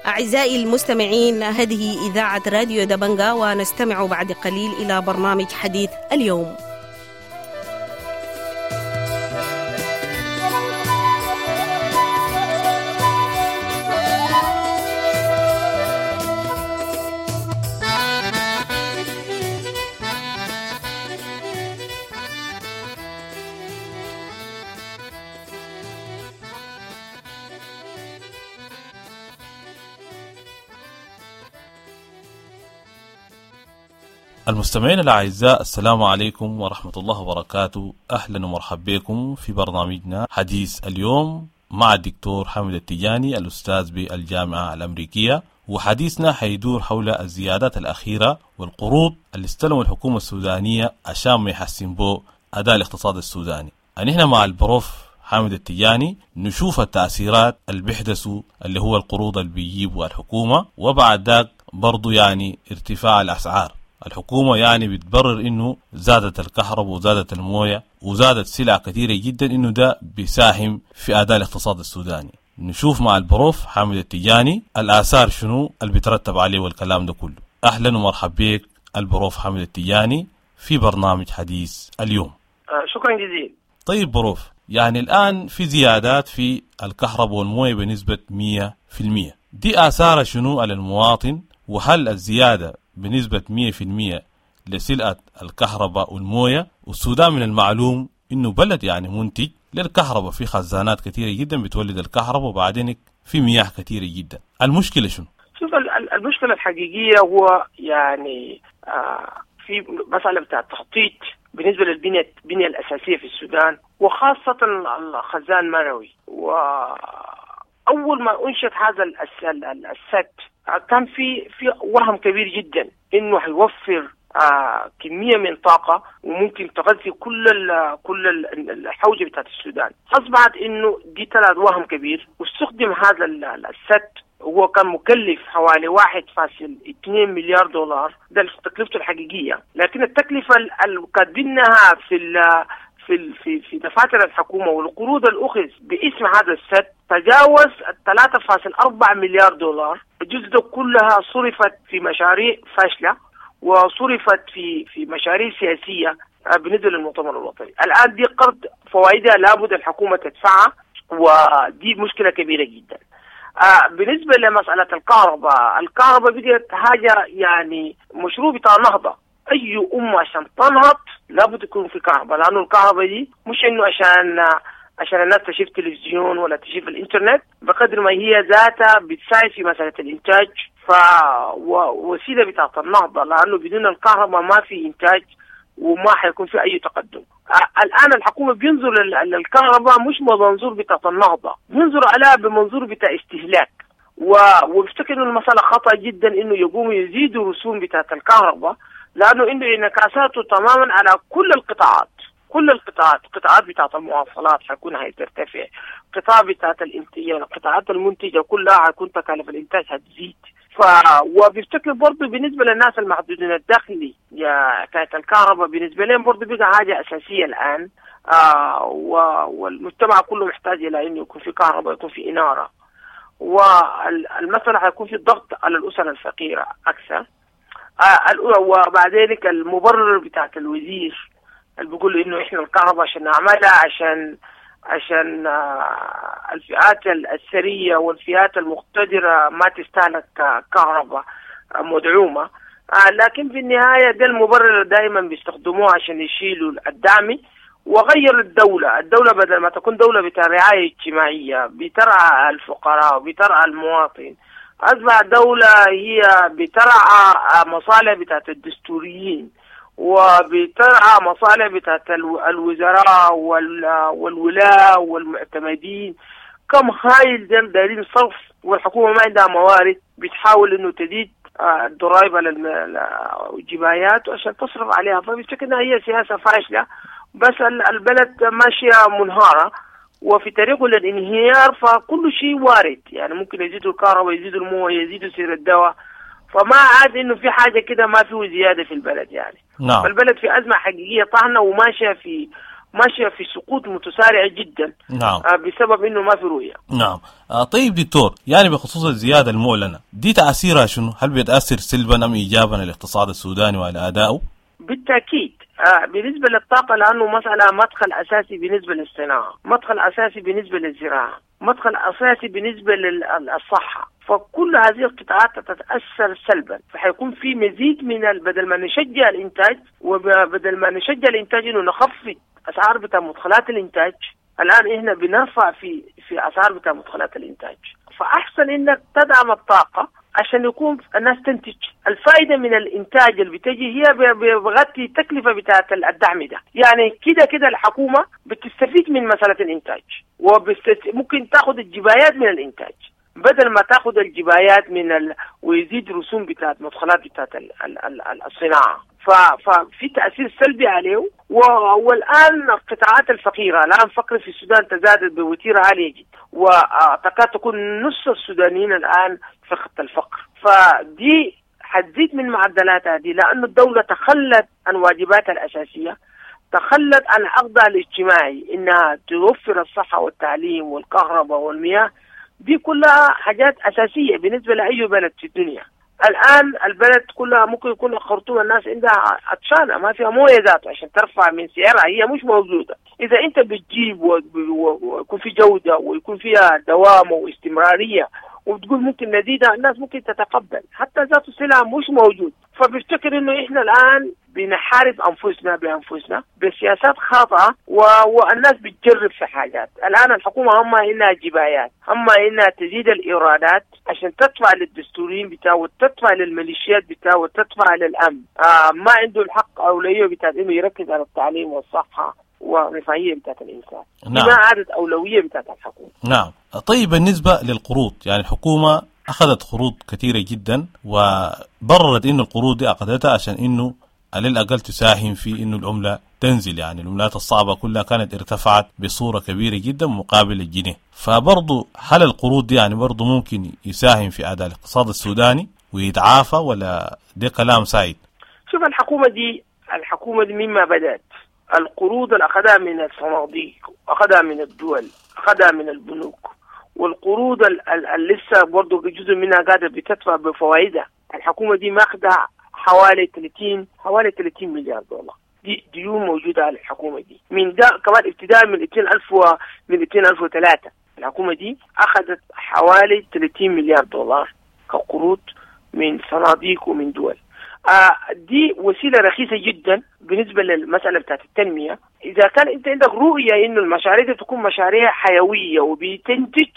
أعزائي المستمعين، هذه إذاعة راديو دبنجا، ونستمع بعد قليل إلى برنامج حديث اليوم. المستمعين الأعزاء، السلام عليكم ورحمة الله وبركاته. أهلا ومرحبا بكم في برنامجنا حديث اليوم. مع الدكتور حامد التجاني الأستاذ بالجامعة الأمريكية، وحديثنا حيدور حول الزيادات الأخيرة والقروض اللي استلموا الحكومة السودانية عشان ما يحسن بو أداء الاقتصاد السوداني. نحن مع البروف حامد التجاني نشوف التأثيرات اللي بيحدثوا اللي هو القروض اللي بيجيبوا الحكومة، وبعد ذاك برضو يعني ارتفاع الأسعار. الحكومة يعني بتبرر إنه زادت الكهرباء وزادت الموية وزادت سلع كثيرة جدا، إنه ده بيساهم في أداء الاقتصاد السوداني. نشوف مع البروف حامد التجاني الآثار شنو اللي بيترتب عليه والكلام ده كله. أهلا ومرحبا بك البروف حامد التجاني في برنامج حديث اليوم. شكرا جزيلا. طيب بروف، يعني الآن في زيادات في الكهرباء والموية بنسبة 100%، دي آثارها شنو على المواطن؟ وهل الزيادة بنسبة 100% لسلعة الكهرباء والموية؟ والسودان من المعلوم إنه بلد يعني منتج للكهرباء، في خزانات كثيرة جدا بتولد الكهرباء، وبعدين في مياه كثيرة جدا. المشكلة شنو؟ شوف، المشكلة الحقيقية هو يعني في مسألة بتاع التخطيط بالنسبة للبنية البنية الأساسية في السودان، وخاصة الخزان مروي. وأول ما أنشئت هذا السد كان في وهم كبير جدا إنه هيوفر كمية من طاقة وممكن تغذي كل الحوجة بتاعت السودان. أصبحت إنه دي طلعت وهم كبير، واستخدم هذا السد، هو كان مكلف حوالي 1.2 مليار دولار، ده تكلفته الحقيقية، لكن التكلفة اللي كاتبينها في في في دفاتر الحكومة والقروض الأخذ باسم هذا السد تجاوز 3.4 مليار دولار. الجزء ده كلها صرفت في مشاريع فاشلة، وصرفت في مشاريع سياسية بالنسبة للمؤتمر الوطني. الآن دي قرض فوائدها لابد الحكومة تدفعها، ودي مشكلة كبيرة جدا. بالنسبة لمسألة الكهرباء، الكهرباء بقت حاجة يعني مشروع بتاع نهضة. أي أمة عشان تنهض لابد يكون في كهرباء، لأنه الكهرباء دي مش إنه عشان الناس تشوف تلفزيون ولا تشوف الإنترنت، بقدر ما هي ذاتها بتساعد في مسألة الإنتاج، فوسيلة بتاعت النهضة، لأنه بدون الكهرباء ما في إنتاج وما حيكون في أي تقدم. الآن الحكومة بينظر للكهرباء مش بمنظور بتاعت النهضة، بينظر عليها بمنظور بتاع استهلاك، وبفتكر إنه المسألة خطأ جدا إنه يقوموا يزيدوا رسوم بتاعت الكهرباء، لأنه إنه انعكاساته تماما على كل القطاعات، كل القطاعات، قطاعات بتاعت المواصلات حيكون هترتفع، قطاع بتاعت الانتاج، القطاعات المنتجة كلها حيكون تكاليف الإنتاج هتزيد. وبيفتكر برضه بالنسبة للناس المحدودين الدخل يا كانت الكهرباء بالنسبة لهم برضه بقى حاجة أساسية الآن، والمجتمع كله محتاج إلى إنه يكون في كهرباء، يكون في إنارة، والمسألة حيكون في ضغط على الأسر الفقيرة أكثر. وبعد ذلك المبرر بتاعت الوزير اللي بيقول إنه إحنا الكهرباء عشان نعملها عشان الفئات الثرية والفئات المقتدرة ما تستهلك كهرباء مدعومة، لكن في النهاية ده المبرر دائما بيستخدموه عشان يشيلوا الدعم. وغير الدولة بدل ما تكون دولة بتاع رعاية اجتماعية بترعى الفقراء وبترعى المواطن، أصبح دولة هي بترعى مصالح بتاعت الدستوريين وبترعى مصالح بتاعت الوزراء والولاة والمعتمدين. كم هايل دايرين صرف، والحكومة ما عندها موارد، بتحاول انه تزيد الضرائب على الجبايات عشان تصرف عليها. فبفتكر انها هي سياسة فاشلة، بس البلد ماشية منهارة وفي طريقه للانهيار، فكل شيء وارد، يعني ممكن يزيدوا الكهرباء، يزيدوا المويه، يزيدوا سعر الدواء، فما عاد انه في حاجة كده ما فيه زيادة في البلد يعني. نعم. فالبلد في ازمة حقيقية طاحنة وماشية في سقوط متسارع جدا. نعم. بسبب انه ما في رؤية. نعم. طيب دكتور، يعني بخصوص الزيادة المعلنة دي تاثيرها شنو؟ هل بيتاثر سلبا ام ايجابا على الاقتصاد السوداني وعلى ادائه؟ بالتاكيد. بالنسبة للطاقة، لأنه مسألة مدخل أساسي بالنسبة للصناعة، مدخل أساسي بالنسبة للزراعة، مدخل أساسي بالنسبة للصحة، فكل هذه القطاعات تتأثر سلبا. فحيكون في مزيد من بدل ما نشجع الإنتاج، وبدل ما نشجع الإنتاج إنه نخفض أسعار بتاع مدخلات الإنتاج، الآن إحنا بنرفع في أسعار بتاع مدخلات الإنتاج. فأحسن إنك تدعم الطاقة عشان يكون الناس تنتج. الفائدة من الإنتاج اللي بتجي هي بغطي التكلفة بتاعت الدعم ده. يعني كده كده الحكومة بتستفيد من مسألة الإنتاج، وممكن تاخد الجبايات من الإنتاج بدل ما تاخد الجبايات من ويزيد رسوم بتاعت مدخلات بتاعت الصناعة. ففي تأثير سلبي عليه. والآن القطاعات الفقيرة، الآن فقر في السودان تزادت بوتيرة عالية جدا، وتكاد تكون نص السودانيين الآن في خط الفقر. فدي حتزيد من معدلاتها دي، لأن الدولة تخلت عن واجباتها الأساسية، تخلت عن عقدها الاجتماعي إنها توفر الصحة والتعليم والكهرباء والمياه. دي كلها حاجات أساسية بالنسبة لأي بلد في الدنيا. الآن البلد كلها ممكن يكون الخرطوم الناس عندها عطشانة، ما فيها موية ذاته عشان ترفع من سعرها، هي مش موجودة. إذا أنت بتجيب ويكون في جودة ويكون فيها دوام واستمرارية وبتقول ممكن نزيدها، الناس ممكن تتقبل، حتى ذات السلعة مش موجود. فبفتكر إنه إحنا الآن بنحارب أنفسنا بأنفسنا بسياسات خاطئة، والناس بتجرب في حاجات. الآن الحكومة هم إنها جبايات، هم إنها تزيد الإيرادات عشان تدفع للدستوريين بتاعه وتدفع للميليشيات بتاعه وتدفع للأمن. ما عنده الحق أولوية بتاعت إنه يركز على التعليم والصحة ورفاهية بتاعت الإنسان. نعم. ما عادت أولوية بتاعت الحكومة. نعم. طيب بالنسبة للقروض، يعني الحكومة أخذت قروض كثيرة جدا وبررت إنه القروض دي أخذتها عشان إنه على الأقل تساهم في إنه العملة تنزل، يعني العملات الصعبة كلها كانت ارتفعت بصورة كبيرة جدا مقابل الجنيه. فبرضو هل القروض دي يعني برضو ممكن يساهم في أداء الاقتصاد السوداني ويتعافى، ولا ده كلام سايد؟ شوف الحكومة دي مما بدأت القروض اللي أخذها من الصناديق، أخذها من الدول، أخذها من البنوك، والقروض اللي لسه برضو جزء منها قاعدة بتدفع بفوائدها. الحكومة دي ماخذة حوالي 30 مليار دولار دي ديون موجودة على الحكومة دي. من ده كمان ابتداء من 2003 الحكومة دي أخذت حوالي 30 مليار دولار كقروض من صناديق ومن دول. دي وسيلة رخيصة جدا بالنسبة للمسألة بتاعت التنمية. إذا كان أنت عندك رؤية إنه المشاريع دي تكون مشاريع حيوية وبتنتج،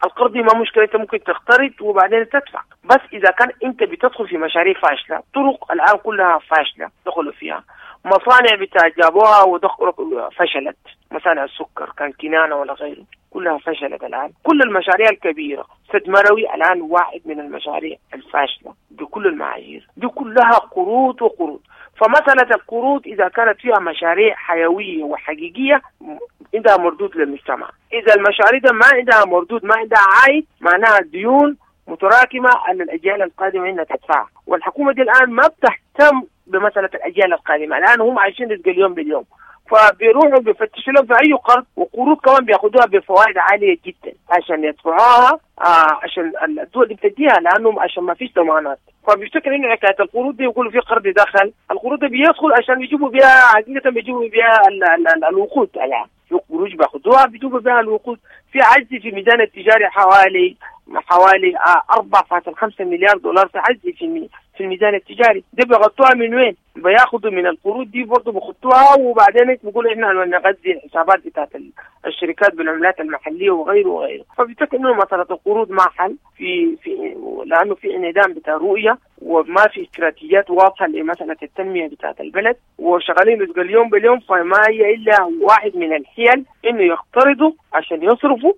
القرض ما مشكلة، أنت ممكن تقترض وبعدين تدفع. بس إذا كان أنت بتدخل في مشاريع فاشلة، طرق الآن كلها فاشلة دخلوا فيها، مصانع بتاع جابوها ودخلوا فشلت، مصانع السكر كان كنانة ولا غيره كلها فشلت الآن. كل المشاريع الكبيرة، سد مروي الآن واحد من المشاريع الفاشلة بكل المعايير، دي كلها قروض وقروض. فمسألة القروض إذا كانت فيها مشاريع حيوية وحقيقية عندها مردود للمجتمع، إذا المشاريع ده ما عندها مردود، ما عندها عائد، معناها ديون متراكمة على الأجيال القادمة إنها تدفعها. والحكومة دي الآن ما بتهتم بمسألة الأجيال القادمة، الآن هم عايشين رزق اليوم باليوم، فبيروحوا بيفتشوا لهم في أي قرض، وقروض كمان بياخدوها بفوائد عالية جدا عشان يدفعوها، عشان الدول بتديها لأنهم عشان ما فيش ضمانات. فبيفتكر إنه حكاية القروض دي يقولوا في قرض دخل، القروض دي بيدخل عشان يجيبوا بها حقيقة، بيجيبوا بها الوقود. الآن في قروض بياخدوها بيجيبوا بها الوقود. في عجز في ميزان التجاري حوالي 4.5 مليار دولار في عجز في الميزان التجاري. دي بيغطوها من وين؟ بياخدوا من القروض دي برضه بيخطوها، وبعدين بيقولوا احنا نغذي الحسابات بتاعت الشركات بالعملات المحلية وغيره وغيره. فبيفتكر انه مسالة القروض ما حل في لانه في انعدام بتاع رؤية وما في استراتيجيات واضحة لمسالة التنمية بتاعت البلد، وشغالين رزق اليوم باليوم. فما هي الا واحد من الحيل انه يقترضوا عشان يصرفوا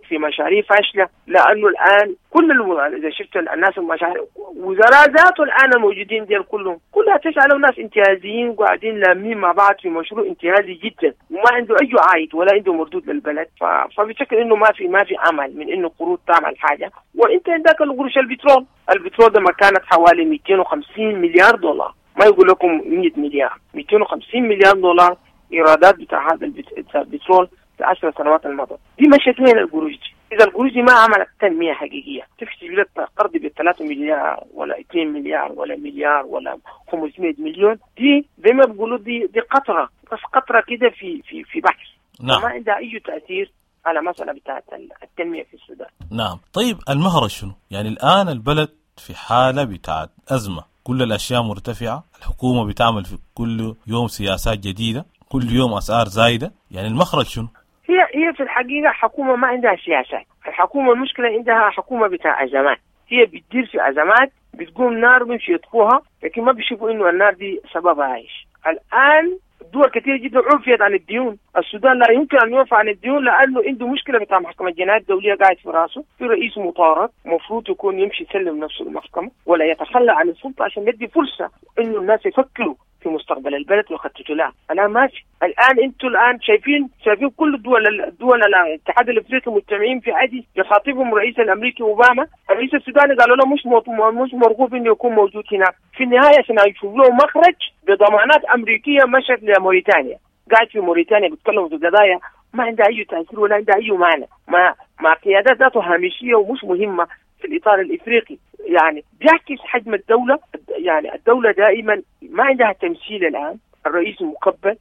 في مشاريع فاشلة، لانه الان كل اذا شفت الناس المشاريع وزراء ذاته الان الموجودين ديل كلهم كلها تشعلوا ناس انتهازيين قاعدين لامين مع بعض في مشروع انتهازي جدا وما عنده اي عائد ولا عنده مردود للبلد. فبشكل انه ما في امل من انه قروض تعمل حاجة. وانت عندك القروش البترول ده ما كانت حوالي 250 مليار دولار، ما يقول لكم 100 مليار، 250 مليار دولار ايرادات بتاع هذا البترول في 10 سنوات الماضية. دي مشت وين القروش دي؟ إذا القروش دي ما عملت تنمية حقيقية، تفشي لك قرض ب 3 مليار ولا 2 مليار ولا مليار ولا 500 مليون، دي زي ما بيقولوا دي قطرة، بس قطرة كده في في في بحر. نعم. ما عندها أي تأثير على مسألة بتاعت التنمية في السودان. نعم. طيب المهرج شنو؟ يعني الآن البلد في حالة بتاعت أزمة، كل الأشياء مرتفعة، الحكومة بتعمل في كل يوم سياسات جديدة، كل يوم أسعار زايدة، يعني المخرج شنو؟ هي في الحقيقة حكومة ما عندها سياسات. الحكومة المشكلة عندها حكومة بتاع أزمات، هي بتدير في ازمات، بتقوم نار بيمشي يطفوها، لكن ما بيشوفوا انه النار دي سببها ايش. الان دول كثير جدا عفيت عن الديون، السودان لا يمكن ان يعفى عن الديون لانه عنده مشكلة بتاع محكمة الجنايات الدولية قاعد في راسه، في رئيس مطارد المفروض يكون يمشي يسلم نفسه للمحكمة ولا يتخلى عن السلطة عشان يدي فرصة انه الناس يفكروا في مستقبل البلد ويخططوا لها. الان ماشي، الان انتم الان شايفين كل الدول الاتحاد الافريقي مجتمعين في عدي يخاطبهم الرئيس الامريكي اوباما، الرئيس السوداني قالوا له مش مرغوب انه يكون موجود هناك. في النهاية عشان يشوف له مخرج بضمانات امريكية مشت لموريتانيا، قاعد في موريتانيا بيتكلموا في قضايا ما عندها اي تاثير ولا عندها اي معنى، مع قيادات ذاته هامشية ومش مهمة في الاطار الافريقي. يعني بيعكس حجم الدولة، يعني الدولة دائما ما عندها تمثيل. الآن الرئيس مقبل،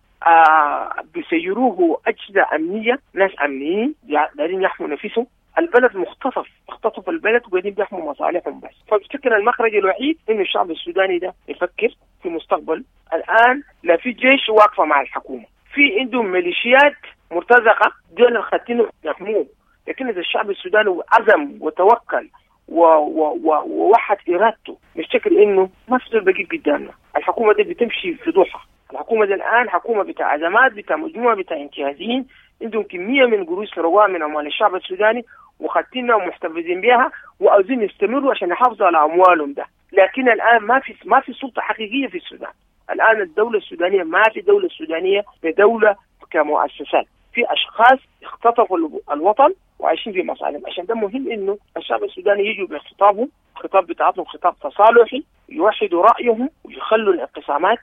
بيسيروه أجهزة أمنية، ناس أمنيين دايرين يحموا نفسهم. البلد مختطف، اختطف البلد وقاعدين بيحموا مصالحهم بس. فبفتكر المخرج الوحيد إنه الشعب السوداني ده يفكر في مستقبل. الآن لا في جيش واقفة مع الحكومة، في عندهم ميليشيات مرتزقة دول الخاتين يحموه، لكن إذا الشعب السوداني عزم وتوكل ووحد إرادته، نفتكر إنه ما في زول بقيت قدامنا. الحكومة دي بتمشي في ضحى، الحكومة دي الآن حكومة بتاع أزمات، بتاع مجموعة بتاع انتهازيين، عندهم كمية من قروش سرقوها من أموال الشعب السوداني وخدتينها ومحتفظين بها وعاوزين يستمروا عشان يحافظوا على أموالهم ده. لكن الآن ما في سلطة حقيقية في السودان. الآن الدولة السودانية ما في دولة سودانية بدولة كمؤسسات، في أشخاص اختطفوا الوطن وعايشين في مصالحهم. عشان ده مهم انه الشعب السوداني يجوا بخطابهم، خطاب بتاعتهم خطاب تصالحي، يوحدوا رايهم ويخلوا الانقسامات،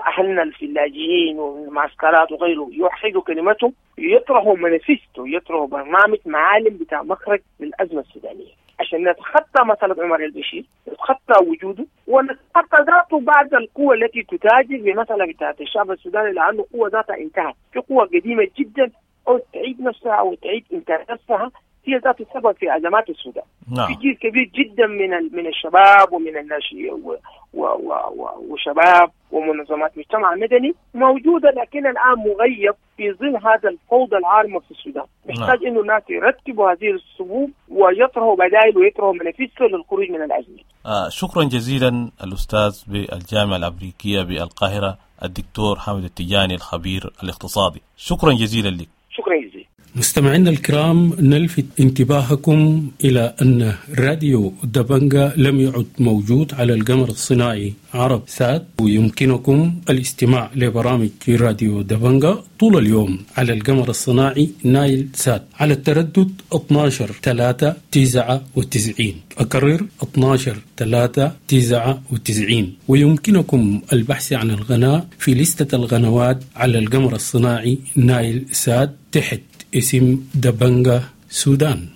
اهلنا في اللاجئين والمعسكرات وغيره يوحدوا كلمتهم، يطرحوا مانيفستو، يطرحوا برنامج معالم بتاع مخرج للازمة السودانية عشان نتخطى مسألة عمر البشير، نتخطى وجوده ونتخطى ذاته بعد القوة التي تتاجر بمسألة بتاعت الشعب السوداني، لأنه قوة ذاتها انتهت، في قوة قديمة جدا أو تعيد نفسها أو تعيد إنتاج نفسها، هي ذات السبب في أزمات السودان. نعم. في جيل كبير جدا من الشباب ومن الناشئين وشباب ومنظمات مجتمع مدني موجودة، لكن الآن مغيب في ظل هذا الفوضى العارمة في السودان. محتاج إنه الناس يرتبوا هذه الصفوف ويطرحوا بدائل ويطرحوا منافسه للخروج من الأزمة. شكرا جزيلا الأستاذ بالجامعة الأمريكية بالقاهرة الدكتور حامد التجاني الخبير الاقتصادي، شكرا جزيلا لك. شكرا جزيلا. مستمعينا الكرام، نلفت انتباهكم إلى أن راديو دبنجا لم يعد موجود على القمر الصناعي عرب سات، ويمكنكم الاستماع لبرامج راديو دبنجا طول اليوم على القمر الصناعي نايل سات على التردد 12-399، أكرر 12-399. ويمكنكم البحث عن القناة في لستة القنوات على القمر الصناعي نايل سات تحت اسم دبنجا سودان.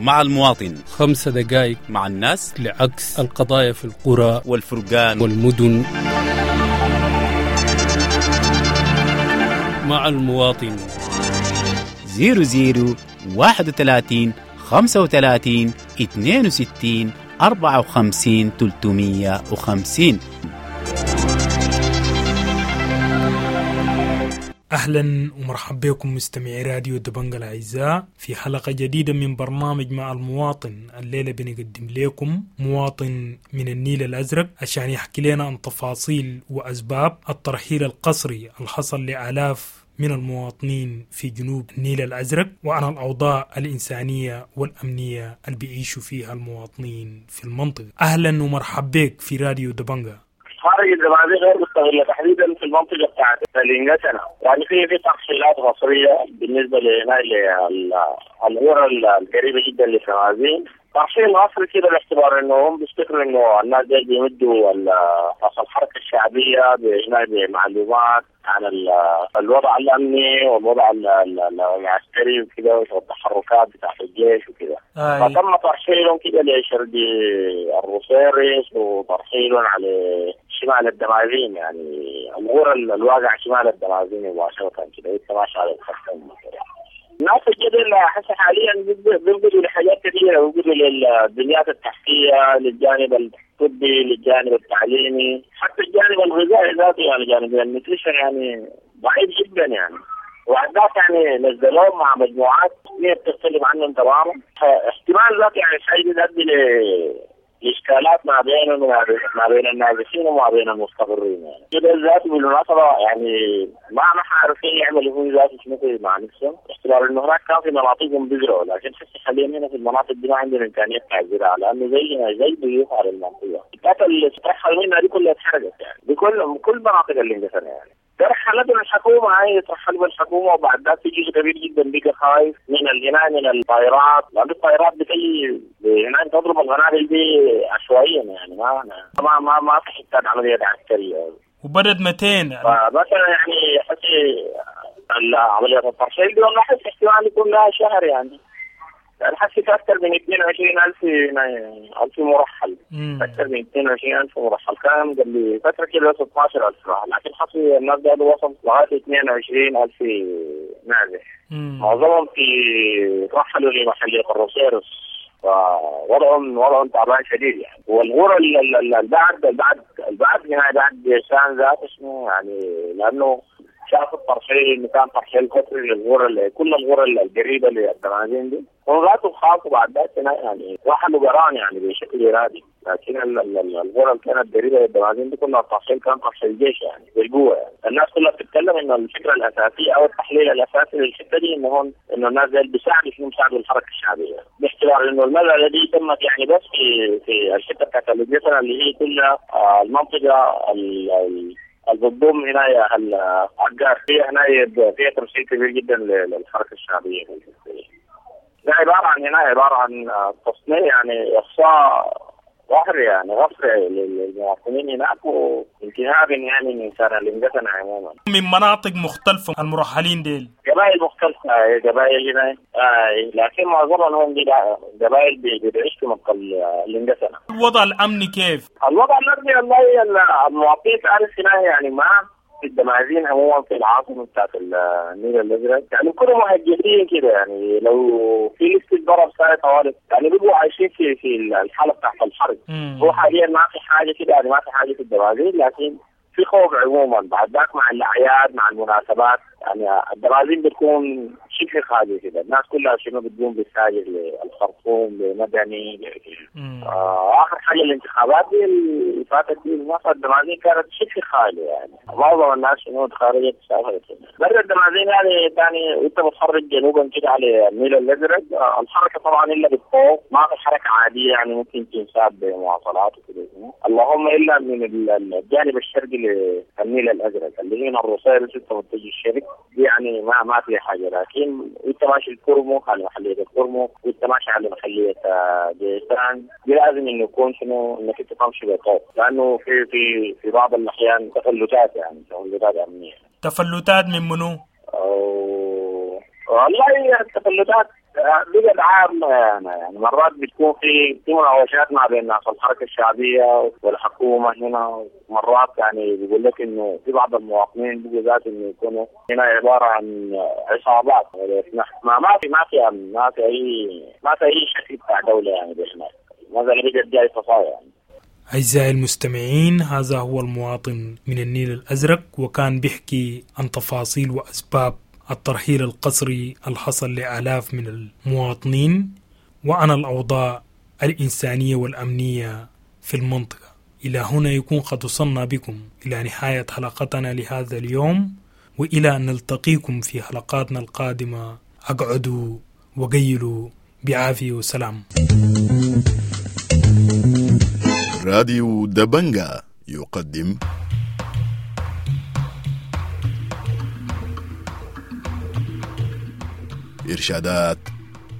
مع المواطن 5 دقائق مع الناس لعكس القضايا في القرى والفرقان والمدن. مع المواطن 00 31 35 62 54 350. أهلا ومرحبا بكم مستمعي راديو دبنجا الأعزاء في حلقة جديدة من برنامج مع المواطن. الليلة بنقدم لكم مواطن من النيل الأزرق عشان يحكي لنا عن تفاصيل وأسباب الترحيل القسري الحصل لآلاف من المواطنين في جنوب النيل الأزرق، وعن الأوضاع الإنسانية والأمنية اللي بيعيشوا فيها المواطنين في المنطقة. أهلا ومرحبا بك في راديو دبنجا. خارج الدمازين غير مستغله، تحديدا في المنطقة بتاعت الانجسنه، يعني في ترحيلات قسريه بالنسبة للقرى القريبة جدا للدمازين. ترحيل قسري كده باعتبار انه هم بيفتكروا انه الناس دي بيمدوا الحركة الشعبية بمعلومات عن الوضع الامني والوضع العسكري وكده والتحركات بتاعت الجيش وكده. فتم ترحيلهم كده لشرق الروسيريس وترحيلهم على شمال الدمازين، يعني الغرى الواقع شمال الدمازين مباشرة كده يتماشى على الخرطوم. الناس الجدل حسب حاليا بيفقدوا لحاجات كثيرة، بيفقدوا للبنيات التحتية، للجانب الطبي، للجانب التعليمي، حتى الجانب الغذائي ذاته، يعني جانب ال nutrition يعني ضعيف جدا يعني. وبعد ذاك يعني نزلوهم مع مجموعات هي بتختلف عنهم تماما. احتمال ذاك يعني الحاجة دي تؤدي لاشكالات ما بينهم وما بين النازحين وما بين المستقرين يعني. كده ذاته بالمناسبة يعني ما عارفين يعملوا هو ذاته شنو مع نفسهم، احتمال انه هناك كان في مناطقهم بيزرعوا، لكن حسي حاليا هنا في المناطق دي ما عندهم امكانية بتاع الزراعة، لانه زي ضيوف على المنطقة. الحتات اللي ترحل منها دي كلها اتحرقت يعني، بكل كل مناطق اللي اندفنت يعني. ترحلت الحكومة، هاي ترحلوا بالحكومة، وبعد ذاك في جزء كبير جدا بقى خايف من الهنا من الطائرات، لأن الطائرات بتجي هنا تضرب القنابل دي عشوائيا يعني ما ما ما, ما في حتات عملية عسكرية. وبدت 200 فمثلا يعني حسي عملية الترحيل دي والله حسي احتمال يكون لها شهر يعني. الحسي في أكثر من 22,000 مرحل، أكثر من 22,000 مرحل، كان قبل فترة كده 16,000 مرحل، لكن حسي الناس قالوا وصل لغاية 22,000 نازح. معظمهم في رحلوا لمحلية الروسيرس، فوضعهم تعبان شديد يعني. والغرة البعد البعد البعد هنا بعد جيشان ذات اسمه يعني، لأنه شاف الترحيل انه كان ترحيل قسري للغرة، كل الغرة القريبة للدمازين دي، هم ذاته خافوا بعد ذاك يعني رحلوا جران يعني بشكل ارادي، لكن الغرة اللي كانت قريبه للدمازين دي كلها الترحيل كان ترحيل الجيش يعني بالقوة يعني. الناس كلها بتتكلم انه الفكرة الاساسية او التحليل الاساسي للحتة دي انه هون انه الناس دي بيساعدوا شنو بيساعدوا الحركة الشعبية، باعتبار انه المسالة دي تمت يعني بس في الحتة بتاعت الجسر اللي هي كلها المنطقة البضم هنا العقار فيها هنا فيها تمثيل كبير جدا للحركة الشعبية. ده عبارة عن هنا عبارة عن تصنيع يعني اخصاء ظهري يعني غفر للمواطنين هناك وانتهاء يعني من انسان الانجسن عموما. من مناطق مختلفة المرحلين ديل، قبائل مختلفة، قبائل هنا لكن معظمهم هم قبائل بيعيشوا في منطقة الانجسنه. الوضع الامني كيف؟ الوضع الامني والله المواطنين تعرف هنا يعني ما في الدمازين عموما في العاصمة بتاعت النيل الازرق يعني كلهم مهجرين كده يعني، لو في لسه ضرب ساي طوالي يعني بيبقوا عايشين في الحالة بتاعت الحرب. هو حاليا ما في حاجة كده يعني، ما في حاجة في الدمازين، لكن في خوف عموما بعد ذاك مع الاعياد مع المناسبات يعني الدمازين بتكون شبه خالية كده، الناس كلها شنو بتقوم بالساجر للخرطوم لمدني. اخر حاجة الانتخابات دي اللي فاتت دي الدمازين كانت شبه خالية يعني، معظم الناس شنو تخرجت سافرت برا الدمازين يعني. ثاني وانت بتخرج جنوبا كده على النيل الازرق الحركة طبعا الا بالطوق، ما في حركة عادية يعني ممكن تنساب بمواصلات وكده، اللهم الا من الجانب الشرقي للنيل الازرق اللي هنا الروسير انت متجه الشرق دي يعني ما فيها حاجة، لكن وانت ماشي الكرمك على محليه الكرمك وانت ماشي على محليه جيسان دي لازم انه يكون شنو انك انت تمشي بطوق، لانه في في في بعض الاحيان تفلتات يعني تفلتات امنية. تفلتات من منو؟ والله التفلتات بقت عامة يعني مرات بتكون في مناوشات ما بين ناس الحركة الشعبية والحكومة هنا، مرات يعني بيقول لك إنه في بعض المواطنين بيقوا ذات إنه يكونوا هنا عبارة عن عصابات، ما ما في ما في أمن، ما في أي شكل بتاع دولة يعني هناك، مثلا بقت جاي فصايا يعني. أعزائي المستمعين، هذا هو المواطن من النيل الأزرق، وكان بيحكي عن تفاصيل وأسباب الترحيل القسري الحصل لآلاف من المواطنين وعن الأوضاع الإنسانية والأمنية في المنطقة. إلى هنا يكون قد وصلنا بكم إلى نهاية حلقتنا لهذا اليوم، وإلى أن نلتقيكم في حلقاتنا القادمة، أقعدوا وقيلوا بعافية وسلام. راديو دبنجا يقدم إرشادات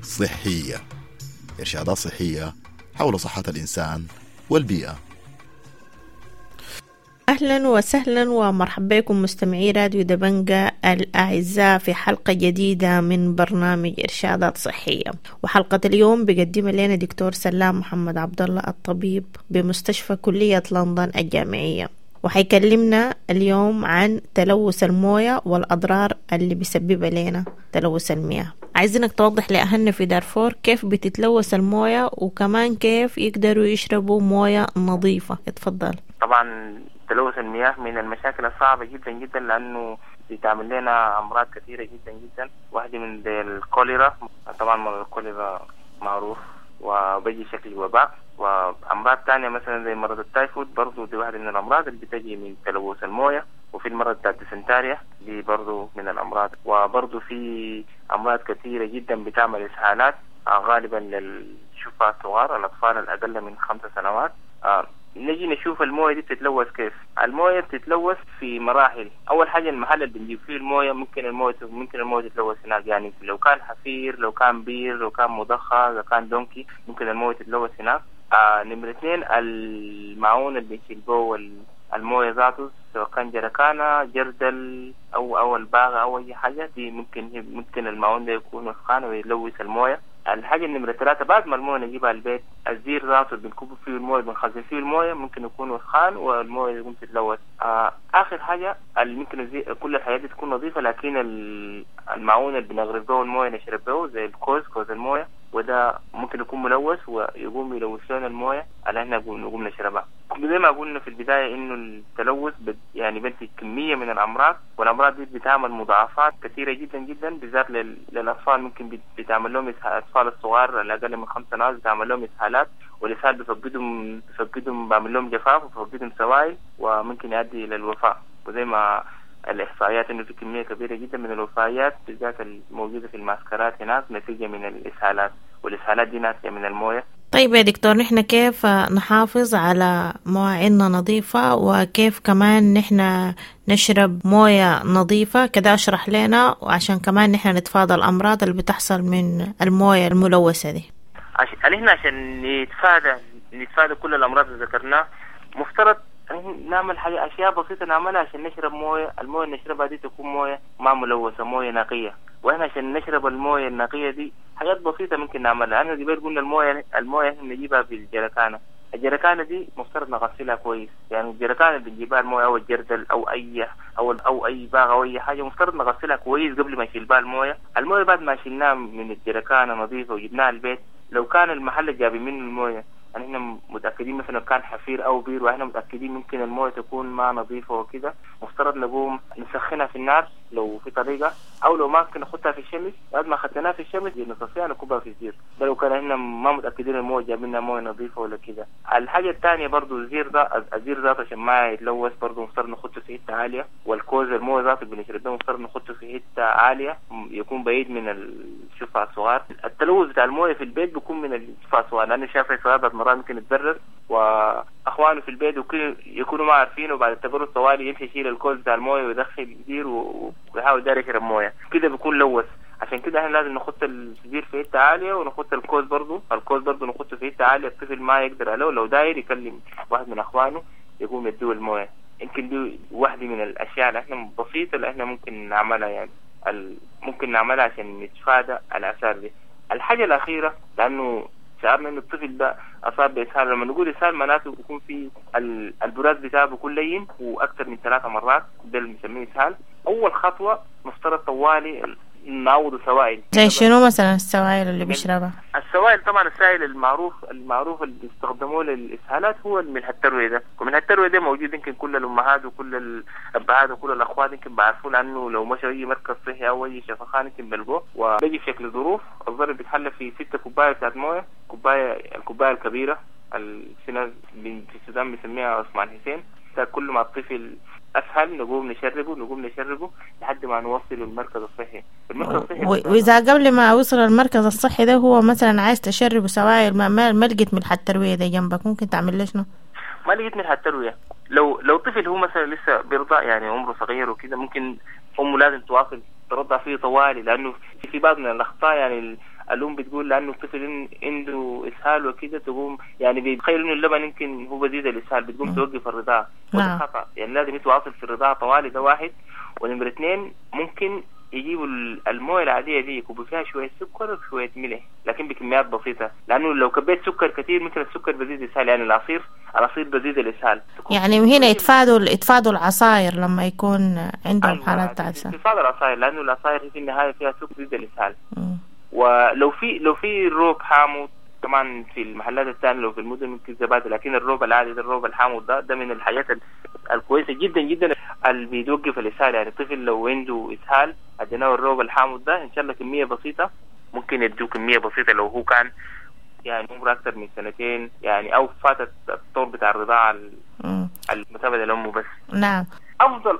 صحية، إرشادات صحية حول صحة الإنسان والبيئة. أهلا وسهلا ومرحبا بكم مستمعي راديو دبنجا الأعزاء في حلقة جديدة من برنامج إرشادات صحية. وحلقة اليوم بيقدمها لنا دكتور سلام محمد عبد الله الطبيب بمستشفى كلية لندن الجامعية، وحيكلمنا اليوم عن تلوث الموية والأضرار اللي بيسببها لنا تلوث المياه. عايزينك توضح لأهلنا في دارفور كيف بتتلوث الموية وكمان كيف يقدروا يشربوا موية نظيفة. اتفضل. طبعا تلوث المياه من المشاكل الصعبة جدا جدا، لأنه بتعمل لنا أمراض كثيرة جدا جدا. واحدة من زي الكوليرا، طبعا مرض الكوليرا معروف وبيجي شكل وباء. وأمراض تانية مثلا زي مرض التايفود برضو دي واحدة من الأمراض اللي بتجي من تلوث الموية. وفي المرض بتاع الديسنتاريا دي برضو من الأمراض. وبرضو في أمراض كثيرة جدا بتعمل إسهالات، غالبا للشفاء الصغار، الأطفال الأقل من 5 سنوات. نجي نشوف الموية دي بتتلوث كيف. الموية بتتلوث في مراحل. أول حاجة المحل اللي بنجيب فيه الموية ممكن الموية تتلوث هناك، يعني لو كان حفير، لو كان بير، لو كان مضخة، لو كان دونكي، ممكن الموية تتلوث هناك. نمرة 2 المعون اللي بنشيل به الموية ذاته، سواء كان جركانة، جردل أو الباغة أو أي حاجة، دي ممكن المعون ده يكون وسخان ويلوث الموية. الحاجة النمرة 3 بعد ما الموية نجيبها البيت، الزير ذاته اللي بنكب فيه الموية، بنخزن فيه الموية، ممكن يكون وسخان والموية يقوم تتلوث. آخر حاجة اللي ممكن كل الحاجات دي تكون نظيفة، لكن المعون اللي بنغرف به الموية نشرب به زي الكوز، كوز الموية، وده ممكن يكون ملوث ويقوم يلوث لنا الموية اللي احنا نقوم نشربها. زي ما قلنا في البداية انه التلوث يعني بنتج كمية من الامراض، والامراض دي بتعمل مضاعفات كثيرة جدا جدا، بالذات للاطفال. ممكن بتعمل لهم الاطفال الصغار الاقل من 5 سنوات بتعمل لهم اسهالات، والاسهال بفقدهم بعمل لهم جفاف وبفقدهم سوائل، وممكن يؤدي الى الوفاة. وزي ما الإحصائيات إنه في كمية كبيرة جدا من الوفيات بالذات الموجودة في المعسكرات هناك نتيجة من الإسهالات، والإسهالات دي ناتجة من الموية. طيب يا دكتور، نحن كيف نحافظ على مواعيننا نظيفة، وكيف كمان نحن نشرب موية نظيفة؟ كده أشرح لنا، وعشان كمان نحن نتفادى الأمراض اللي بتحصل من الموية الملوثة دي. نحن عشان نتفادى كل الأمراض اللي ذكرناها، مفترض نعمل حاجة، أشياء بسيطة نعملها عشان نشرب موية. الموية اللي نشربها دي تكون موية ما ملوثة، موية نقية. وإحنا عشان نشرب الموية النقية دي حاجات بسيطة ممكن نعملها. أنا دي قلنا الموية إحنا نجيبها في الجركانة. الجركانة دي مفترض نغسلها كويس، يعني الجركانة اللي بنجيبها الموية أو الجردل أو أي أو أي باغة أو أي حاجة، مفترض نغسلها كويس قبل ما نشيل بها الموية. الموية بعد ما شلناها من الجركانة نظيفة وجبناها البيت، لو كان المحل اللي جابين منه الموية يعني احنا متأكدين مثلا كان حفير أو بير، واحنا متأكدين ممكن الموية تكون ما نظيفة وكده، مفترض نقوم نسخنها في النار لو في طريقة، أو لو ما ممكن نحطها في الشمس. بعد ما خدناها في الشمس نصفيها نكبها في الزير، ده لو كان احنا ما متأكدين الموية جايبين موية نظيفة ولا كده. الحاجة الثانية برضو الزير ده، الزير ذاته عشان ما يتلوث برضو مفترض نحطه في حتة عالية، والكوز الموية ذاته بنشرب ده مفترض نحطه في حتة عالية يكون بعيد من الشفع الصغار. التلوث بتاع الموية في البيت بيكون من الشفع الصغار، لأنه شاف الصغار مرات ممكن يتبرر واخوانه في البيت يكونوا ما عارفين، وبعد التبرد طوالي يمشي يشيل الكوز بتاع المويه ويدخل الزير ويحاول داير يشرب مويه، كده بيكون لوث. عشان كده احنا لازم نحط الزير في حته عاليه، ونحط الكوز برضه، نحطه في حته عاليه الطفل ما يقدر عليه، لو داير يكلم واحد من اخوانه يقوم يديه المويه. يمكن دي واحده من الاشياء اللي احنا بسيطه اللي احنا ممكن نعملها، يعني ممكن نعملها عشان نتفادى الاثار دي. الحاجه الاخيره، لانه شعرنا انه الطفل ده اصاب باسهال، لما نقول اسهال معناته بيكون في البراز بتاعه بيكون لين واكثر من 3 مرات، ده اللي بنسميه اسهال. اول خطوه مفترض طوالي نعوض سوائل. زي شنو مثلا السوائل اللي بيشربها؟ السوائل طبعا السائل المعروف اللي بيستخدموه للاسهالات هو الملح التروي ده، وملح التروي ده موجود يمكن كل الامهات وكل الابهات وكل الاخوات يمكن بيعرفوه، لانه لو مشوا اي مركز صحي او اي شفخانه يمكن بلقوه. وبيجي في شكل ظروف، الظرف بيتحلى في 6 كوبايه بتاعت مويه، الكوبايه الكبيره في ناس في السودان بيسميها عثمان حسين. كل ما الطفل اسهل نقوم نشربه لحد ما نوصله المركز الصحي. المركز الصحي واذا قبل ما اوصل المركز الصحي ده هو مثلا عايز تشربه سوائل ما لقيت ملح الترويه ده جنبك، ممكن تعمل له شنو؟ ما لقيت ملح الترويه، لو طفل هو مثلا لسه بيرضع يعني عمره صغير وكده، ممكن امه لازم تواصل ترضع فيه طوالي، لانه في بعض من الاخطاء يعني الأم بتقول لأنه الطفل عنده إسهال وكده، تقوم يعني بيتخيل إنه اللبن يمكن هو بزيد الإسهال، بتقوم توقف الرضاعة، وده خطأ. يعني لازم يتواصل في الرضاعة طوالي، ده واحد. ونمرة 2 ممكن يجيبوا المويه العادية دي يكبوا فيها شوية سكر وشوية ملح، لكن بكميات بسيطة، لأنه لو كبيت سكر كثير ممكن السكر بزيد الإسهال، يعني العصير بزيد الإسهال. يعني هنا يتفادوا العصاير لما يكون عندهم حالات إسهال. يتفادوا العصاير لأنه العصاير في النهاية فيها سكر بزيد الإسهال. ولو في روب حامض طبعا في المحلات الثانية لو في المدن ممكن زبادي، لكن الروب العادي ده، الروب الحامض ده من الحاجات الكويسة جدا جدا اللي بيتوقف الاسهال. يعني الطفل لو عنده اسهال اديناه الروب الحامض ده ان شاء الله كمية بسيطة، ممكن يدوه كمية بسيطة لو هو كان يعني عمره اكثر من سنتين يعني، او فاتت الطور بتاع الرضاعة المتابعة لامه بس. نعم.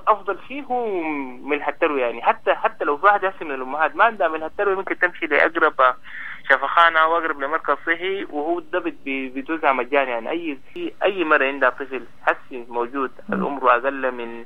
افضل شيء هو ملح التروية. يعني حتى لو في واحد هسه من الامهات ما عندها ملح التروية ممكن تمشي لاقرب شفخانه او اقرب لمركز صحي، وهو ده بيتوزع مجاني. يعني اي مرة عندها طفل حسي موجود العمر اقل من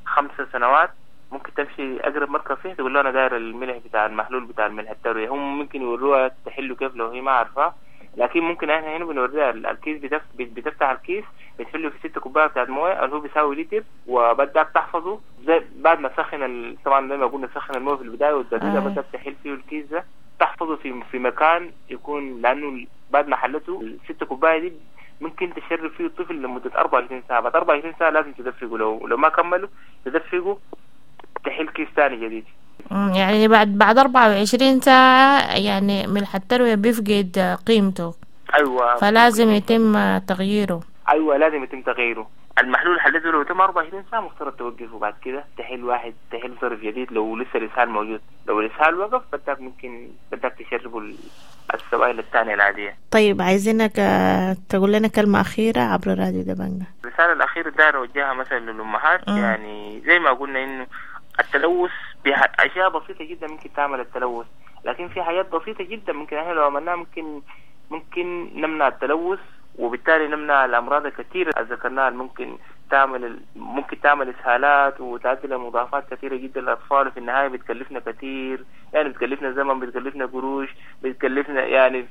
5 سنوات ممكن تمشي اقرب مركز صحي تقول له انا داير الملح بتاع المحلول بتاع الملح التروية. هم ممكن يوروها تحله كيف لو هي ما عارفاه، لكن ممكن احنا هنا بنوريها الكيس، بتفتح الكيس بتحله في 6 كوباية بتاعت مويه اللي هو بيساوي لتر، وبدك تحفظه زي بعد ما تسخن طبعا زي ما قلنا تسخن المويه في البداية وتبدأ بدك تحل فيه الكيس ده، تحفظه في مكان يكون، لانه بعد ما حلته ال6 كوباية دي ممكن تشرب فيه الطفل لمدة 24 ساعة. بعد 24 ساعة لازم تدفقه، لو ما كملوا تدفقه تحل كيس ثاني جديد. يعني بعد 24 ساعة يعني ملح التروية بيفقد قيمته. أيوة. فلازم يتم تغييره. أيوة لازم يتم تغييره. المحلول حلته لو تم 24 ساعة مفترض توقفه، بعد كده تحل واحد، تحل صرف جديد لو لسه الإسهال موجود. لو الإسهال وقف بدك ممكن بدك تشربه السوائل الثانية العادية. طيب عايزينك تقول لنا كلمة أخيرة عبر راديو دبنجة. الرسالة الأخيرة داير أوجهها مثلا للأمهات، يعني زي ما قلنا إنه التلوث بأشياء بسيطة جدا ممكن تعمل التلوث، لكن في حاجات بسيطة جدا ممكن احنا لو عملناها ممكن نمنع التلوث، وبالتالي نمنع الأمراض الكثيرة اللي ذكرناها. ممكن تعمل إسهالات وتؤدي لمضاعفات كثيرة جدا للأطفال، وفي النهاية بتكلفنا كثير، يعني بتكلفنا زمن، بتكلفنا قروش، بتكلفنا يعني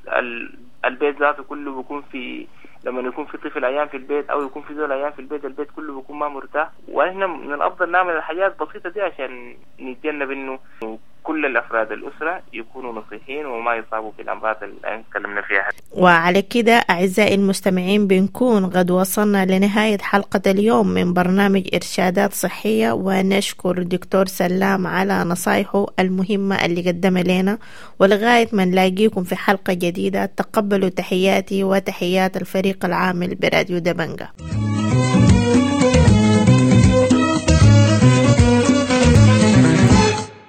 البيت ذاته كله بيكون في، لما يكون في طفل عيان في البيت او يكون في زول عيان في البيت، البيت كله بيكون ما مرتاح. واحنا من الافضل نعمل الحاجات البسيطة دي عشان نتجنب انه كل الافراد الاسرة يكونوا نصيحين وما يصابوا بالامراض اللي تكلمنا فيها. وعلى كده اعزائي المستمعين بنكون قد وصلنا لنهاية حلقة اليوم من برنامج ارشادات صحية، ونشكر دكتور سلام على نصايحه المهمة اللي قدمها لنا. ولغاية ما نلاقيكم في حلقة جديدة، تقبلوا تحياتي وتحيات الفريق العامل براديو دبنجة.